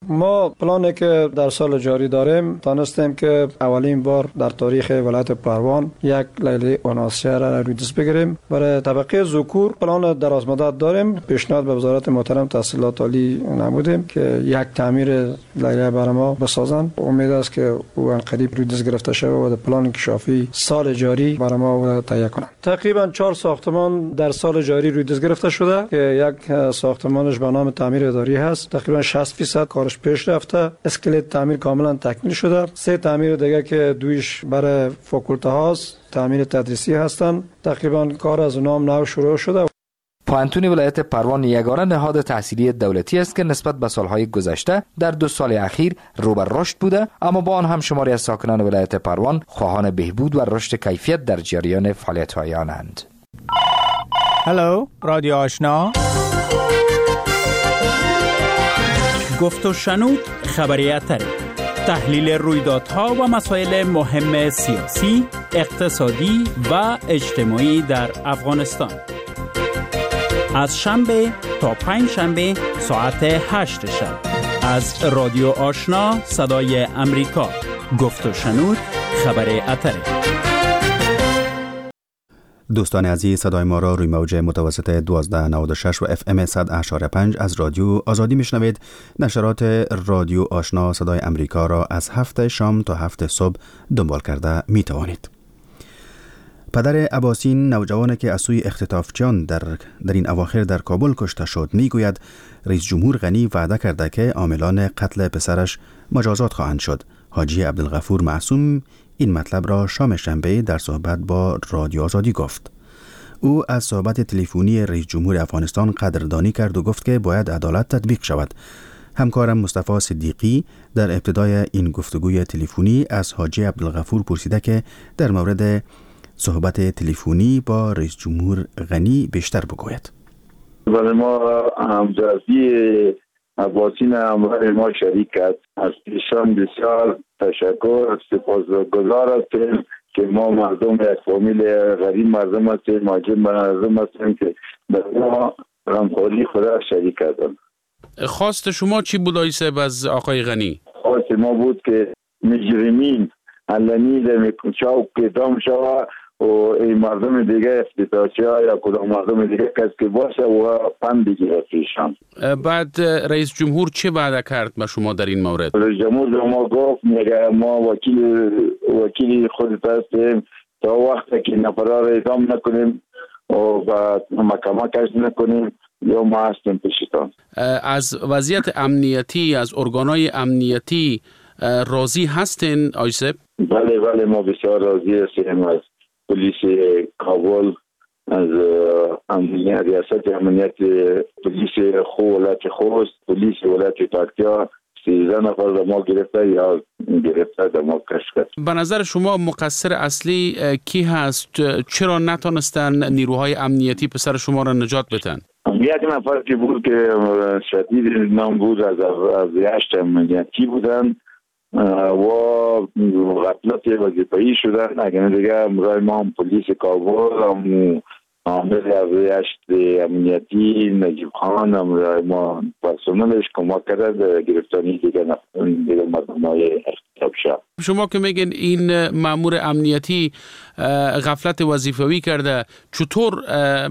Speaker 15: ما پلانی که در سال جاری داریم تانستیم که اولین بار در تاریخ ولایت پروان یک لیله اوناسیه را روی دست بگیریم. برای طبقه ذکور پلان دراز مدت داریم. پیشنهاد به وزارت محترم تحصیلات عالی نمودیم که یک تعمیر لیله برای ما بسازن. امید است که او قریب روی دست گرفته شود و در پلان انکشافی سال جاری برای ما تهیه کنند. تقریبا 4 ساختمان در سال جاری روی دست گرفته شده که یک ساختمانش به نام تعمیر اداری هست، تقریبا 60% کارش پیش رفته، اسکلت تعمیر کاملا تکمیل شده. 3 تعمیر دیگه که دویش برای فاکولته هاست، تعمیر تدریسی هستن، تقریبا کار از اونام نو شروع شده.
Speaker 13: پوهنتون ولایت پروان یگانه نهاد تحصیلی دولتی است که نسبت به سالهای گذشته در 2 سال اخیر رو بر رشد بوده، اما با آن هم شماری از ساکنان ولایت پروان خواهان بهبود و رشد کیفیت در جریان فعالیت‌های آنند.
Speaker 16: هلو رادیو آشنا، گفت و شنود، خبری اتری، تحلیل رویدادها و مسائل مهم سیاسی، اقتصادی و اجتماعی در افغانستان. از شنبه تا پنج شنبه ساعت 8 شب از رادیو آشنا صدای امریکا، گفت و شنود، خبر اتری.
Speaker 1: دوستان عزیز، صدای ما را روی موج متوسط 1296 و اف ام 100.5 از رادیو آزادی میشنوید. نشرات رادیو آشنا صدای امریکا را از 7 شام تا 7 صبح دنبال کرده می توانید. پدر عباسین، نوجوانی که از سوی اختطافچیان در این اواخر در کابل کشته شد، میگوید رئیس جمهور غنی وعده کرده که عاملان قتل پسرش مجازات خواهند شد. حاجی عبدالغفور معصوم این مطلب را شام شنبه در صحبت با رادیو آزادی گفت. او از صحبت تلفنی رئیس جمهور افغانستان قدردانی کرد و گفت که باید عدالت تطبیق شود. همکارم مصطفی صدیقی در ابتدای این گفتگوی تلفنی از حاجی عبدالغفور پرسیده که در مورد صحبت تلفنی با رئیس جمهور غنی بیشتر بگوید.
Speaker 9: برای ما همدردی عباسین همراه ما شریک است. از ایشان بسیار تشکر، سپاسگزار هستیم که ما مردم یک فامیل غریب مردم هستیم، مهاجر مردم هستیم که در ما غمخواری خدا شریک کردن.
Speaker 11: خواست شما چی بود آقای صاحب از آقای غنی؟
Speaker 9: خواست ما بود که مجرمین علنی در چاوک اعدام شود و این مردم دیگه افتتاحی یا کدام مردم دیگه کس که باشه و پند بگیره پیشان.
Speaker 11: بعد رئیس جمهور چه وعده کرد به شما در این مورد؟
Speaker 9: رئیس جمهور به ما گفت میگه ما وکیل خودت هستیم، تا وقتی که نفرا را اعدام نکنیم و محکمه کش نکنیم یا ما هستیم پیشتان.
Speaker 11: از وضعیت امنیتی، از ارگانهای امنیتی راضی هستین آقای صاحب؟
Speaker 9: بله بله، ما بسیار راضی هستیم از پلیس کابل، از امنیت ریاست امنیت پلیس ولایت خوست، پلیس ولایت پکتیا. 13 نفر در ما گرفته یا گرفته در ما کشف کرد.
Speaker 11: به نظر شما مقصر اصلی کی هست؟ چرا نتانستن نیروهای امنیتی پسر شما را نجات بدن؟
Speaker 9: یک نفر که بود که شدید نام بود، از 8 امنیتی بودن و غفلت وظیفه‌ای شدن. اگر دیگه امرای ما هم پلیس کابل، هم عامل 8 امنیتی نجیب خان، امرای ما پرسنلش کمک کرد گرفتاری دیگه مردمای اختطاف شد.
Speaker 11: شما که میگین این مأمور امنیتی غفلت وظیفوی کرده، چطور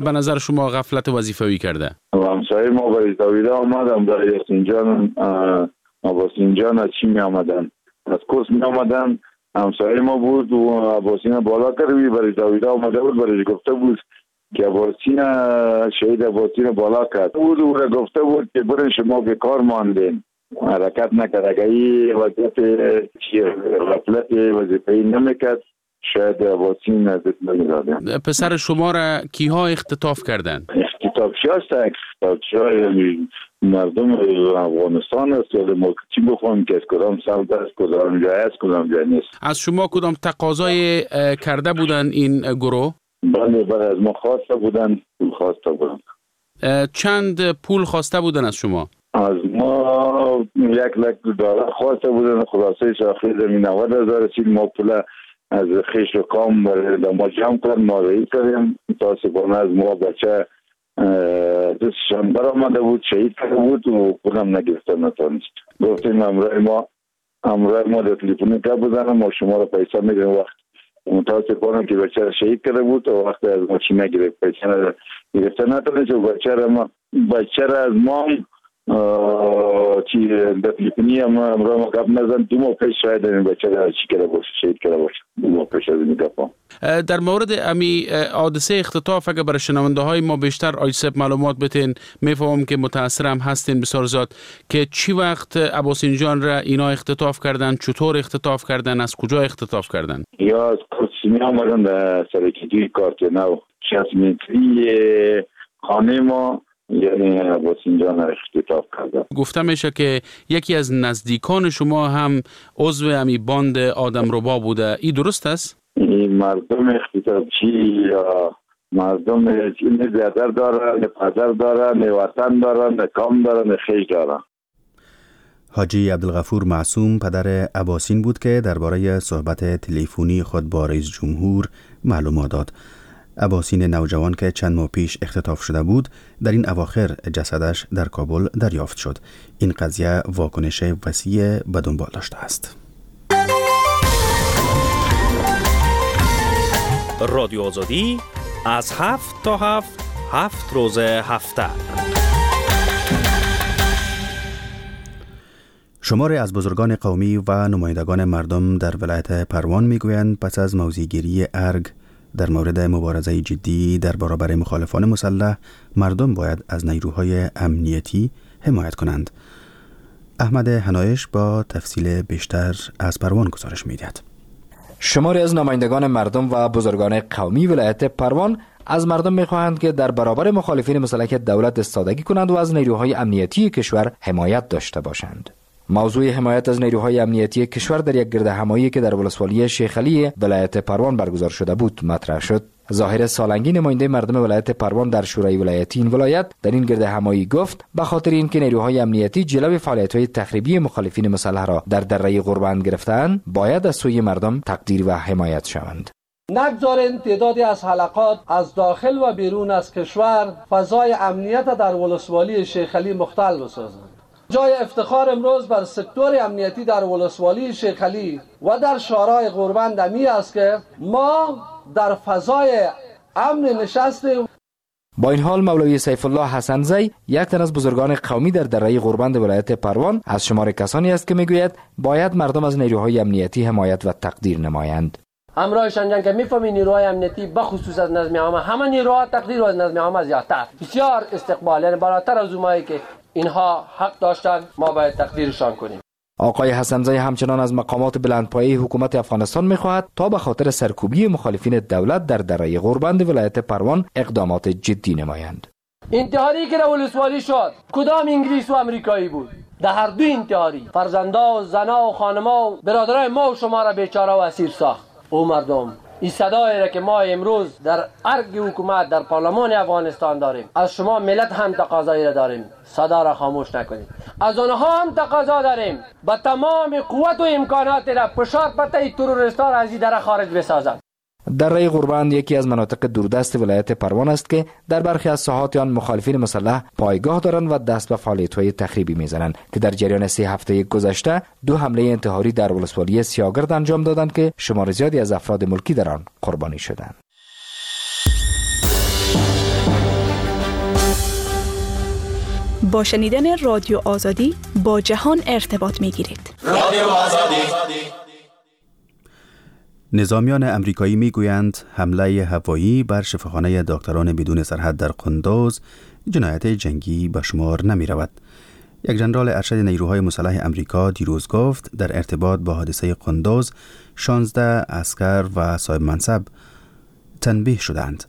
Speaker 11: به نظر شما غفلت وظیفوی کرده؟
Speaker 9: همسایه ما برای داویده آمد، امرای یاسین جان، عباسین جان از چی می آمدن؟ از کورس می آمدن. همسایه ما بود و عباسین بالا کرد، برای داویده آمده بود، برای گفته بود که عباسین شهید عباسین بالا کرد بود. او را گفته بود که برین شما به کار ماندین، حرکت نکرد. اگر این وضعیت غفلت وظیفه‌ای نمیکرد شاید عباسین از دست نمیدادن.
Speaker 11: پسر شما را کیها اختطاف کردند؟
Speaker 9: اختطافچی هست، اختطافچی های مردم افغانستان است. ولی ما چی بخوایم که از کدام سمت است، کدام جای است، کدام جای نیست.
Speaker 11: از شما کدام تقاضای کرده بودن این گروه؟
Speaker 9: بله بله، از ما خواسته بودن، خواسته بودن.
Speaker 11: چند پول خواسته بودن از شما؟
Speaker 9: از ما 1 لک دلار خواسته بودن. خلاصه آخر زمین 90,000 رسید. ما پول از خیش و کام ما جمع کردن، ما رئی کردیم. متاسفانه از ما بچه دستشان برآمده بود، شهید کرده بود و پولم نگرفته نتانست. گفتیم امرای ما در تلفن گپ بزنم، ما شما رو پیسه میدیم. وقت متاسفانه که بچه شهید کرده بود و وقت از ما چی نگرفت، پیسه گرفته نتانست و بچه را از ما چی در تلفنی هم امرای ما گپ نزن. 2 ماه پیش شاید این بچه را چی کرده باشه، شهید کرده باشه، 2 ماه پیش از این گپ.
Speaker 11: در مورد امی حادثه اختطاف اگر برای شنونده های ما بیشتر آیسب معلومات بتین، میفهمم که متاثر هم هستین بسیار زیاد، که چی وقت عباسین جان را اینا اختطاف کردن، چطور اختطاف کردن، از کجا اختطاف کردن؟
Speaker 9: یا از کرسیمی آمدن در سرکیدوی کارت نو 60 متری خانه ما، یعنی عباسین جان را اختطاف کردن.
Speaker 11: گفته میشه که یکی از نزدیکان شما هم عضو امی باند آدم ربا بوده، این درست است؟
Speaker 9: این مردم اختطافچی یا مردم نه بیادر داره، نه پدر داره، نه وطن داره، نه کام داره، نه خیش داره.
Speaker 1: حاجی عبدالغفور معصوم پدر اباسین بود که درباره صحبت تلفنی خود با رئیس جمهور معلومات داد. اباسین نوجوان که چند ماه پیش اختطاف شده بود، در این اواخر جسدش در کابل دریافت شد. این قضیه واکنش وسیع به دنبال داشته است.
Speaker 17: رادیو آزادی از 7 تا 7، 7 روز هفته.
Speaker 1: شماری از بزرگان قومی و نمایندگان مردم در ولایت پروان میگویند پس از موضعگیری ارگ در مورد مبارزه جدی در برابر مخالفان مسلح، مردم باید از نیروهای امنیتی حمایت کنند. احمد هنایش با تفصیل بیشتر از پروان گزارش میدهد.
Speaker 13: شماری از نمایندگان مردم و بزرگان قومی ولایت پروان از مردم میخواهند که در برابر مخالفین مسلح دولت ایستادگی کنند و از نیروهای امنیتی کشور حمایت داشته باشند. موضوع حمایت از نیروهای امنیتی کشور در یک گرد همایی که در ولسوالی شیخعلی ولایت پروان برگزار شده بود مطرح شد. ظاهر سالنگی، نماینده مردم ولایت پروان در شورای ولایتی این ولایت، در این گرد همایی گفت به خاطر اینکه نیروهای امنیتی جلوی فعالیت‌های تخریبی مخالفین مسلح را در دره غوربند گرفتند، باید از سوی مردم تقدیر و حمایت شوند.
Speaker 18: نگذارین تعدادی از حلقات از داخل و بیرون از کشور فضای امنیت در ولسوالی شیخعلی مختل بسازند. جای افتخار امروز بر سکتور امنیتی در ولسوالی شیخعلی و در شورای غوربند امی است که ما در فضای امن نشستیم.
Speaker 13: با این حال مولوی سیف الله حسنزی، یک تن از بزرگان قومی در دره غوربند ولایت پروان، از شمار کسانی است که میگوید باید مردم از نیروهای امنیتی حمایت و تقدیر نمایند.
Speaker 19: همراهشان جنگ که میفهمی نیروهای امنیتی بخصوص از نظم عامه، همه نیروها تقدیر از نظم عامه زیادتر، بسیار استقبال، یعنی بالاتر از اونایی که اینها حق داشتن، ما باید تقدیرشان کنیم.
Speaker 13: آقای حسنزی همچنان از مقامات بلندپایه حکومت افغانستان میخواهد تا به خاطر سرکوبی مخالفین دولت در دره غوربند ولایت پروان اقدامات جدی نمایند.
Speaker 19: انتحاری که در ولسوالی شد کدام انگلیس و امریکایی بود؟ در هر دو انتحاری فرزندا و زنا و خانما و برادرای ما و شما را بیچاره و اسیر ساخت. او مردم، این صدایی را که ما امروز در ارگ حکومت، در پارلمان افغانستان داریم، از شما ملت هم تقاضایی را داریم، صدا را خاموش نکنید. از آنها هم تقاضا داریم با تمام قوت و امکانات را فشار پته تروریست را از این دره خارج بسازند.
Speaker 13: دره غوربند یکی از مناطق دوردست ولایت پروان است که در برخی از ساحات آن مخالفین مسلح پایگاه دارند و دست به فعالیت‌های تخریبی میزنند که در جریان 3 هفته گذشته دو حمله انتحاری در ولسوالی سیاگرد انجام دادند که شمار زیادی از افراد ملکی در آن قربانی شدند.
Speaker 20: با شنیدن رادیو آزادی با جهان ارتباط میگیرید.
Speaker 21: رادیو آزادی.
Speaker 1: نظامیان امریکایی میگویند حمله هوایی بر شفاخانه دکتران بدون سرحد در قندوز جنایت جنگی به شمار نمی رود. یک جنرال ارشد نیروهای مسلح امریکا دیروز گفت در ارتباط با حادثه قندوز 16 عسکر و صاحب منصب تنبیه شدند.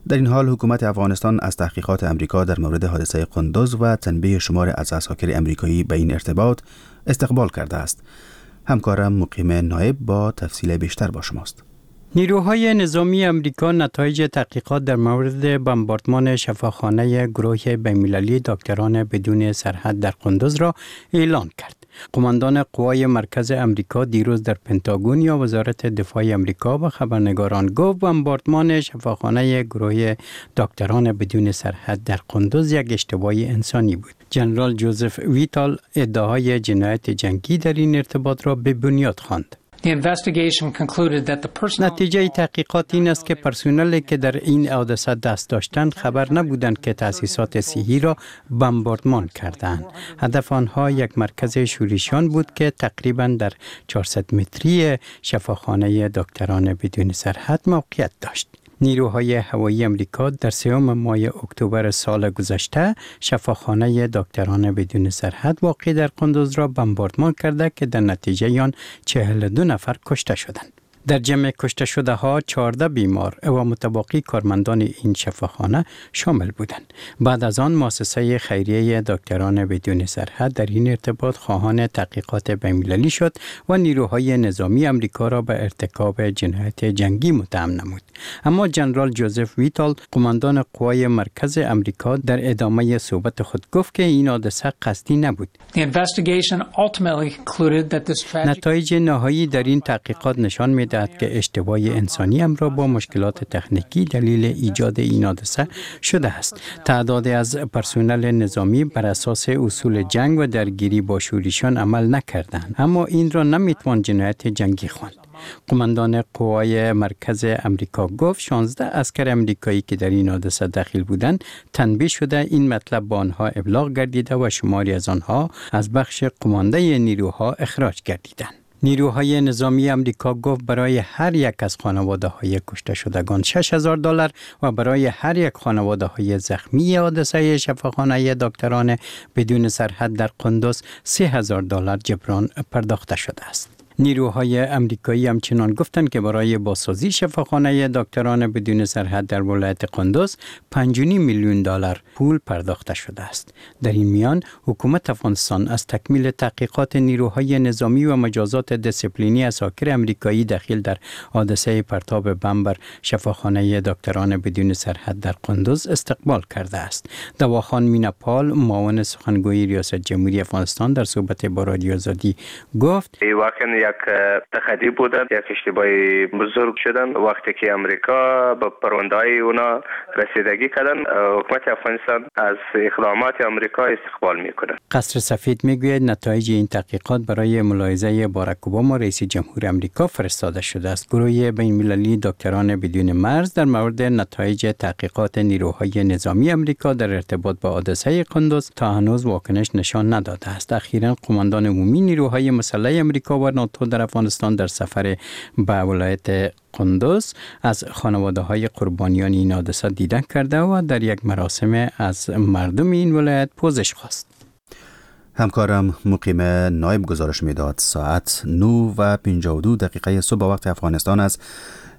Speaker 1: در این حال حکومت افغانستان از تحقیقات امریکا در مورد حادثه قندوز و تنبیه شمار از عساکر امریکایی به این ارتباط استقبال کرده است. همکارم مقیم نایب با تفصیل بیشتر با شماست.
Speaker 16: نیروهای نظامی امریکا نتایج تحقیقات در مورد بمباردمان شفاخانه گروه بین‌المللی دکتران بدون سرحد در قندوز را اعلان کرد. قماندان قوای مرکز امریکا دیروز در پنتاگون یا وزارت دفاع امریکا به خبرنگاران گفت بمباردمان شفاخانه گروه دکتران بدون سرحد در قندوز یک اشتباه انسانی بود. جنرال جوزف ویتال ادعای جنایت جنگی در این ارتباط را به بنیاد خواند. نتیجه تحقیقات این است که پرسنلی که در این حادثه دست داشتند خبر نبودند که تأسیسات صحی را بمباردمان کردند. هدف آنها یک مرکز شورشیان بود که تقریبا در 400 متری شفاخانه دکتران بدون سرحد موقعیت داشت. نیروهای هوایی امریکا در 3 ماه اکتبر سال گذشته شفاخانه دکتران بدون سرحد واقع در قندوز را بمباردمان کرده که در نتیجه آن 42 نفر کشته شدند. در جمع کشته شده ها 14 بیمار و متباقی کارمندان این شفاخانه شامل بودند. بعد از آن مؤسسه خیریه دکتران بدون سرحد در این ارتباط خواهان تحقیقات بین‌المللی شد و نیروهای نظامی امریکا را به ارتکاب جنایت جنگی متهم نمود. اما جنرال جوزف ویتال قماندان قوای مرکز امریکا در ادامه صحبت خود گفت که این حادثه قصدی نبود. نتایج نهایی در این تحقیقات نشان می‌دهد که اشتباه انسانی همراه با مشکلات تکنیکی دلیل ایجاد این حادثه شده است. تعداد از پرسنل نظامی بر اساس اصول جنگ و درگیری با شورشیان عمل نکردند، اما این را نمیتوان جنایت جنگی خواند. قماندان قوای مرکز امریکا گفت 16 عسکر امریکایی که در این حادثه دخیل بودند تنبیه شده، این مطلب با آنها ابلاغ گردیده و شماری از آنها از بخش قمانده نیروها اخراج گردیدند. نیروهای نظامی امریکا گفت برای هر یک از خانواده های کشته شدگان $6,000 و برای هر یک خانواده های زخمی حادثه شفاخانه دکتران بدون سرحد در قندوز $3,000 جبران پرداخته شده است. نیروهای امریکایی همچنان گفتند که برای بازسازی شفاخانه دکتران بدون سرحد در ولایت قندوز 5.5 میلیون دلار پول پرداخته شده است. در این میان حکومت افغانستان از تکمیل تحقیقات نیروهای نظامی و مجازات دیسپلینی عساکر امریکایی دخیل در حادثه پرتاب بمب بر شفاخانه دکتران بدون سرحد در قندوز استقبال کرده است. دواخان میناپال معاون سخنگوی ریاست جمهوری افغانستان در صحبت با رادیو آزادی گفت:
Speaker 21: یک تخدی بودن، یک اشتباه بزرگ شدن وقتی که امریکا به پرونده‌های اونا رسیدگی کردن. حکومت افغانستان از اقدامات امریکا استقبال میکنه.
Speaker 16: قصر سفید میگوید نتایج این تحقیقات برای ملاحظه باراک اوباما رئیس جمهور امریکا فرستاده شده است. گروه بین‌المللی دکتران بدون مرز در مورد نتایج تحقیقات نیروهای نظامی امریکا در ارتباط با حادثه قندوز تا هنوز واکنش نشان نداده است. اخیراً قماندان عمومی نیروهای مسلح امریکا و ناتو در افغانستان در سفر به ولایت قندوز از خانواده های قربانیان این حادثه دیدن کرده و در یک مراسم از مردم این ولایت پوزش خواست.
Speaker 1: همکارم مقیم نایب گزارش میداد. ساعت 9:52 صبح وقت افغانستان است.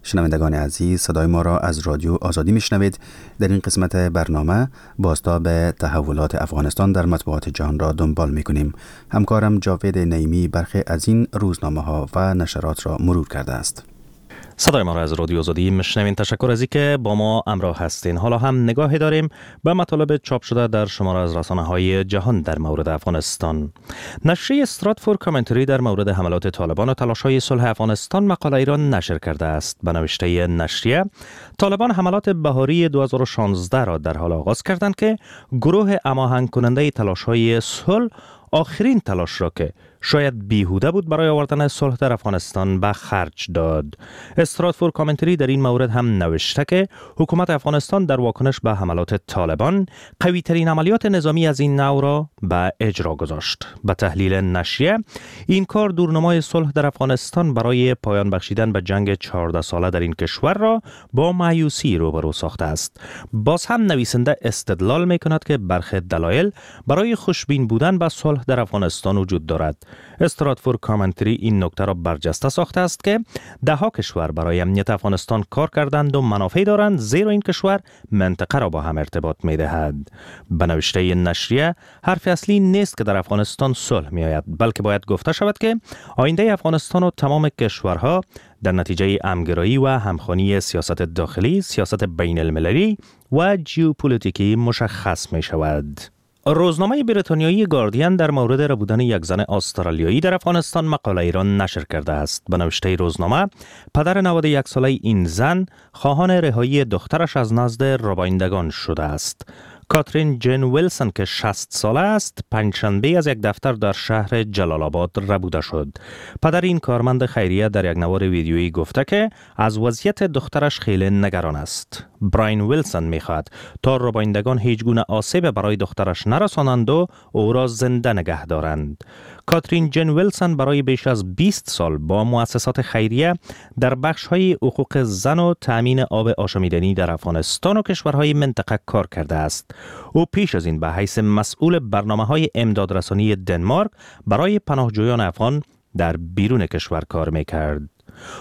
Speaker 1: شنوندگان عزیز، صدای ما را از رادیو آزادی میشنوید. در این قسمت برنامه بازتاب تحولات افغانستان در مطبوعات جهان را دنبال میکنیم. همکارم جاوید نعیمی برخی از این روزنامه ها و نشرات را مرور کرده است.
Speaker 17: صدای ما را از رادیو آزادی میشنوین. تشکر از اینکه با ما همراه هستین. حالا هم نگاهی داریم به مطالب چاپ شده در شماره از رسانه های جهان در مورد افغانستان. نشریه استراتفور کامنتری در مورد حملات طالبان و تلاش های صلح افغانستان مقاله ای را نشر کرده است. به نوشته نشریه، طالبان حملات بهاری 2016 را در حال آغاز کردند که گروه هماهنگ کننده تلاش های صلح آخرین تلاش را که شاید بیهوده بود برای آوردن صلح در افغانستان به خرج داد. استراتفور کامنتری در این مورد هم نوشته که حکومت افغانستان در واکنش به حملات طالبان قوی ترین عملیات نظامی از این نوع را به اجرا گذاشت. به تحلیل نشریه، این کار دورنمای صلح در افغانستان برای پایان بخشیدن به جنگ 14 ساله در این کشور را با مایوسی روبرو ساخته است. باز هم نویسنده استدلال می کند که برخی دلایل برای خوشبین بودن به صلح در افغانستان وجود دارد. استراتفور کامنتری این نکته را برجسته ساخته است که دهها کشور برای امنیت افغانستان کار کردند و منافع دارند، زیرا این کشور منطقه را با هم ارتباط می دهد. به نوشته نشریه، حرف اصلی نیست که در افغانستان صلح می آید، بلکه باید گفته شود که آینده افغانستان و تمام کشورها در نتیجه همگرایی و همخوانی سیاست داخلی، سیاست بین المللی و جیوپولیتیکی مشخص می شود. روزنامه بریتانیایی گاردین در مورد ربودن یک زن استرالیایی در افغانستان مقاله ای را نشر کرده است. به نوشته روزنامه، پدر 91 ساله این زن خواهان رهایی دخترش از نزد ربایندگان شده است. کاترین جن ویلسون که 60 ساله است، پنجشنبه از یک دفتر در شهر جلال آباد ربوده شد. پدر این کارمند خیریه در یک نوار ویدیویی گفته که از وضعیت دخترش خیلی نگران است. براین ویلسون میخواهد تا ربایندگان هیچ گونه آسیب برای دخترش نرسانند و او را زنده نگه دارند. کاترین جن ویلسون برای بیش از 20 سال با مؤسسات خیریه در بخش‌های حقوق زن و تأمین آب آشامیدنی در افغانستان و کشورهای منطقه کار کرده است. او پیش از این به حیث مسئول برنامه‌های امدادرسانی دنمارک برای پناهجویان افغان در بیرون کشور کار میکرد.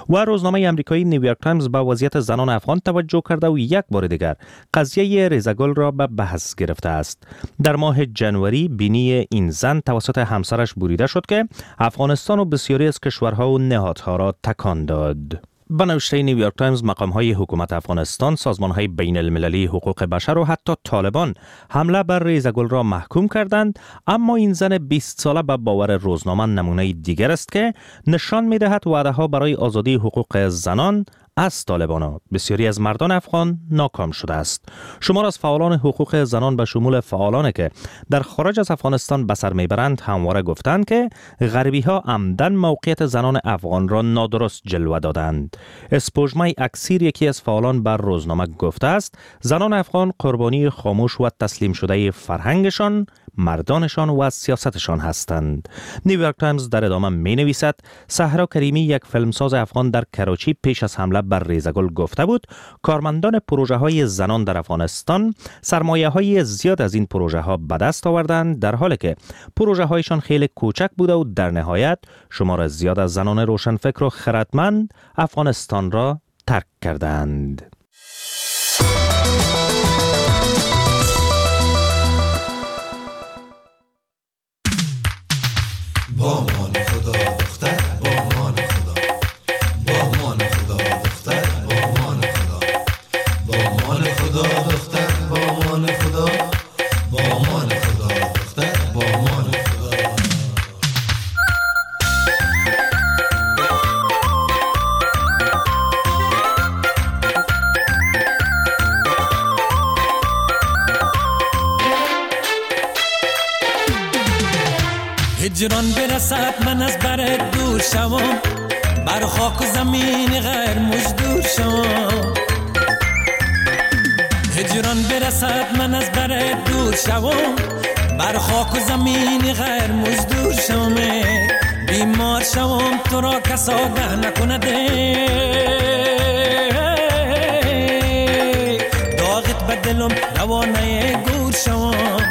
Speaker 17: و روزنامه امریکایی نیویورک تایمز به وضعیت زنان افغان توجه کرده و یک بار دیگر قضیه ریزگل را به بحث گرفته است. در ماه جنوری بینی این زن توسط همسرش بریده شد که افغانستان و بسیاری از کشورها و نهادها را تکان داد. به نوشته نیویورک تایمز، مقام‌های حکومت افغانستان، سازمان‌های بین المللی حقوق بشر و حتی طالبان حمله بر ریزگل را محکوم کردند، اما این زن 20 ساله به باور روزنامه نمونه دیگر است که نشان می‌دهد وعده‌ها برای آزادی حقوق زنان از طالبان بسیاری از مردان افغان ناکام شده است. شمار از فعالان حقوق زنان به شمول فعالانی که در خارج از افغانستان به سر میبرند همواره گفتند که غربی ها عمداً موقعیت زنان افغان را نادرست جلوه دادند. اسپوژمای اکسیر یکی از فعالان بر روزنامه گفته است زنان افغان قربانی خاموش و تسلیم شده فرهنگشان، مردانشان و سیاستشان هستند. نیویورک تایمز در ادامه می نویسد صحرا کریمی یک فیلمساز افغان در کراچی پیش از حمله بر ریزگل گفته بود کارمندان پروژه های زنان در افغانستان سرمایه های زیاد از این پروژه ها به دست آوردند، در حالی که پروژه هایشان خیلی کوچک بوده و در نهایت شمار زیاد از زنان روشنفکر و خردمند افغانستان را ترک کردند.
Speaker 6: با مان خدا دختر، با مان خدا، با مان خدا دختر، با مان خدا، با مان خدا دختر، با مان خدا، با مان خدا دختر، با مان خدا.
Speaker 22: هجران برسد من از برت دور شوم، بر خاک و زمین غیر مزدور شوم. هجران برسد من از برت دور شوم، بر خاک و زمین غیر مزدور شوم. بیمار شوم تو را کس آگه نکند، داغت به دلم روانه گور شوم،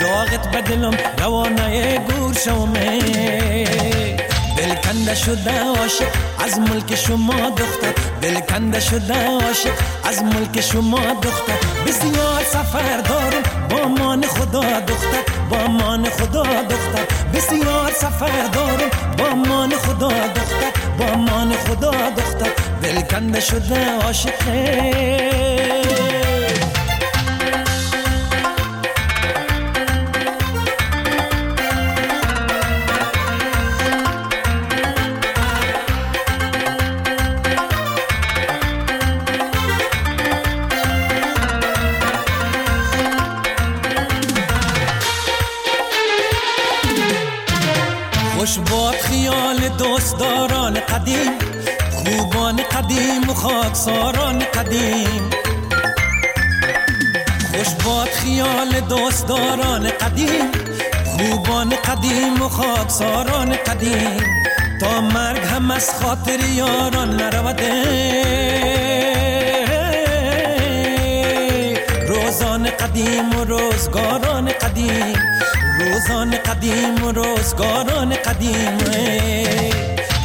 Speaker 22: داغت به دلم روانه گور شوم. دل کنده شده عاشق از ملک شما دختر، دل کنده شده عاشق از ملک شما دختر. بسیار سفر دارم با مان خدا دختر، با مان خدا دختر. بسیار سفر دارم با مان خدا دختر، با مان خدا دختر. دل کنده شده عاشق. خوش باد خیال دوستداران قدیم، خوبان قدیم و خاکساران قدیم. خوش باد خیال دوستداران قدیم، خوبان قدیم و خاکساران قدیم. تا مرگ هم از خاطر یاران نرود، روزان قدیم و روزگاران قدیم، روزان قدیم و روزگاران قدیم.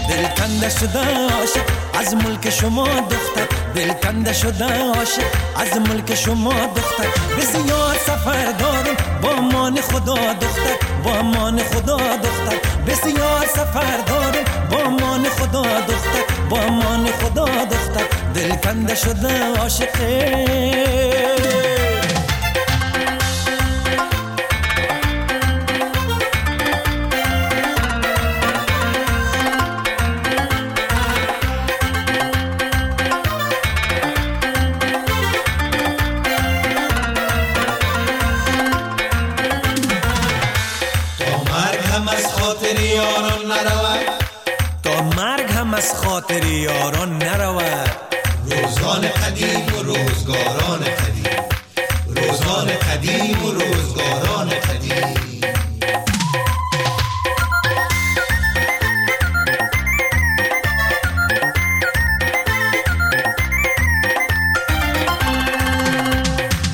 Speaker 22: دل کنده شده عاشق از ملک شما دختر، دل کنده شده عاشق از ملک شما دختر. بسیار سفر دارم با مان خدا دختر، با مان خدا دختر. بسیار سفر دارم با مان خدا دختر، با مان خدا دختر. دل کنده شده عاشق. از خاطر یاران نرود،
Speaker 6: روزان قدیم و روزگاران قدیم، روزان قدیم و روزگاران قدیم.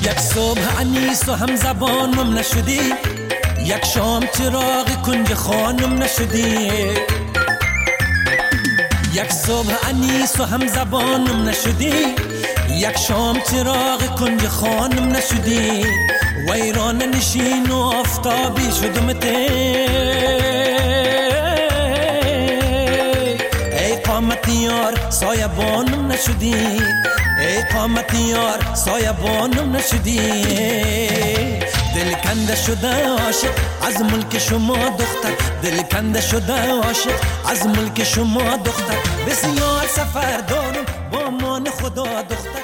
Speaker 22: یک صبح انیس و هم زبانم نشدی، یک شام چراغ کنج خانم نشدی. یک صبح انیس و هم زبانم نشدی، یک شام چراغ کنج خانم نشدی. ویران نشین و آفتابی شدم ته، ای قامت یار سایه بانم نشدی، ای قامت یار سایه بانم نشدی. دل کنده شده عاشق از ملک شما دختر، دل کنده شده عاشق از ملک شما دختر. بسیار سفر دارم با مان خدا دختر.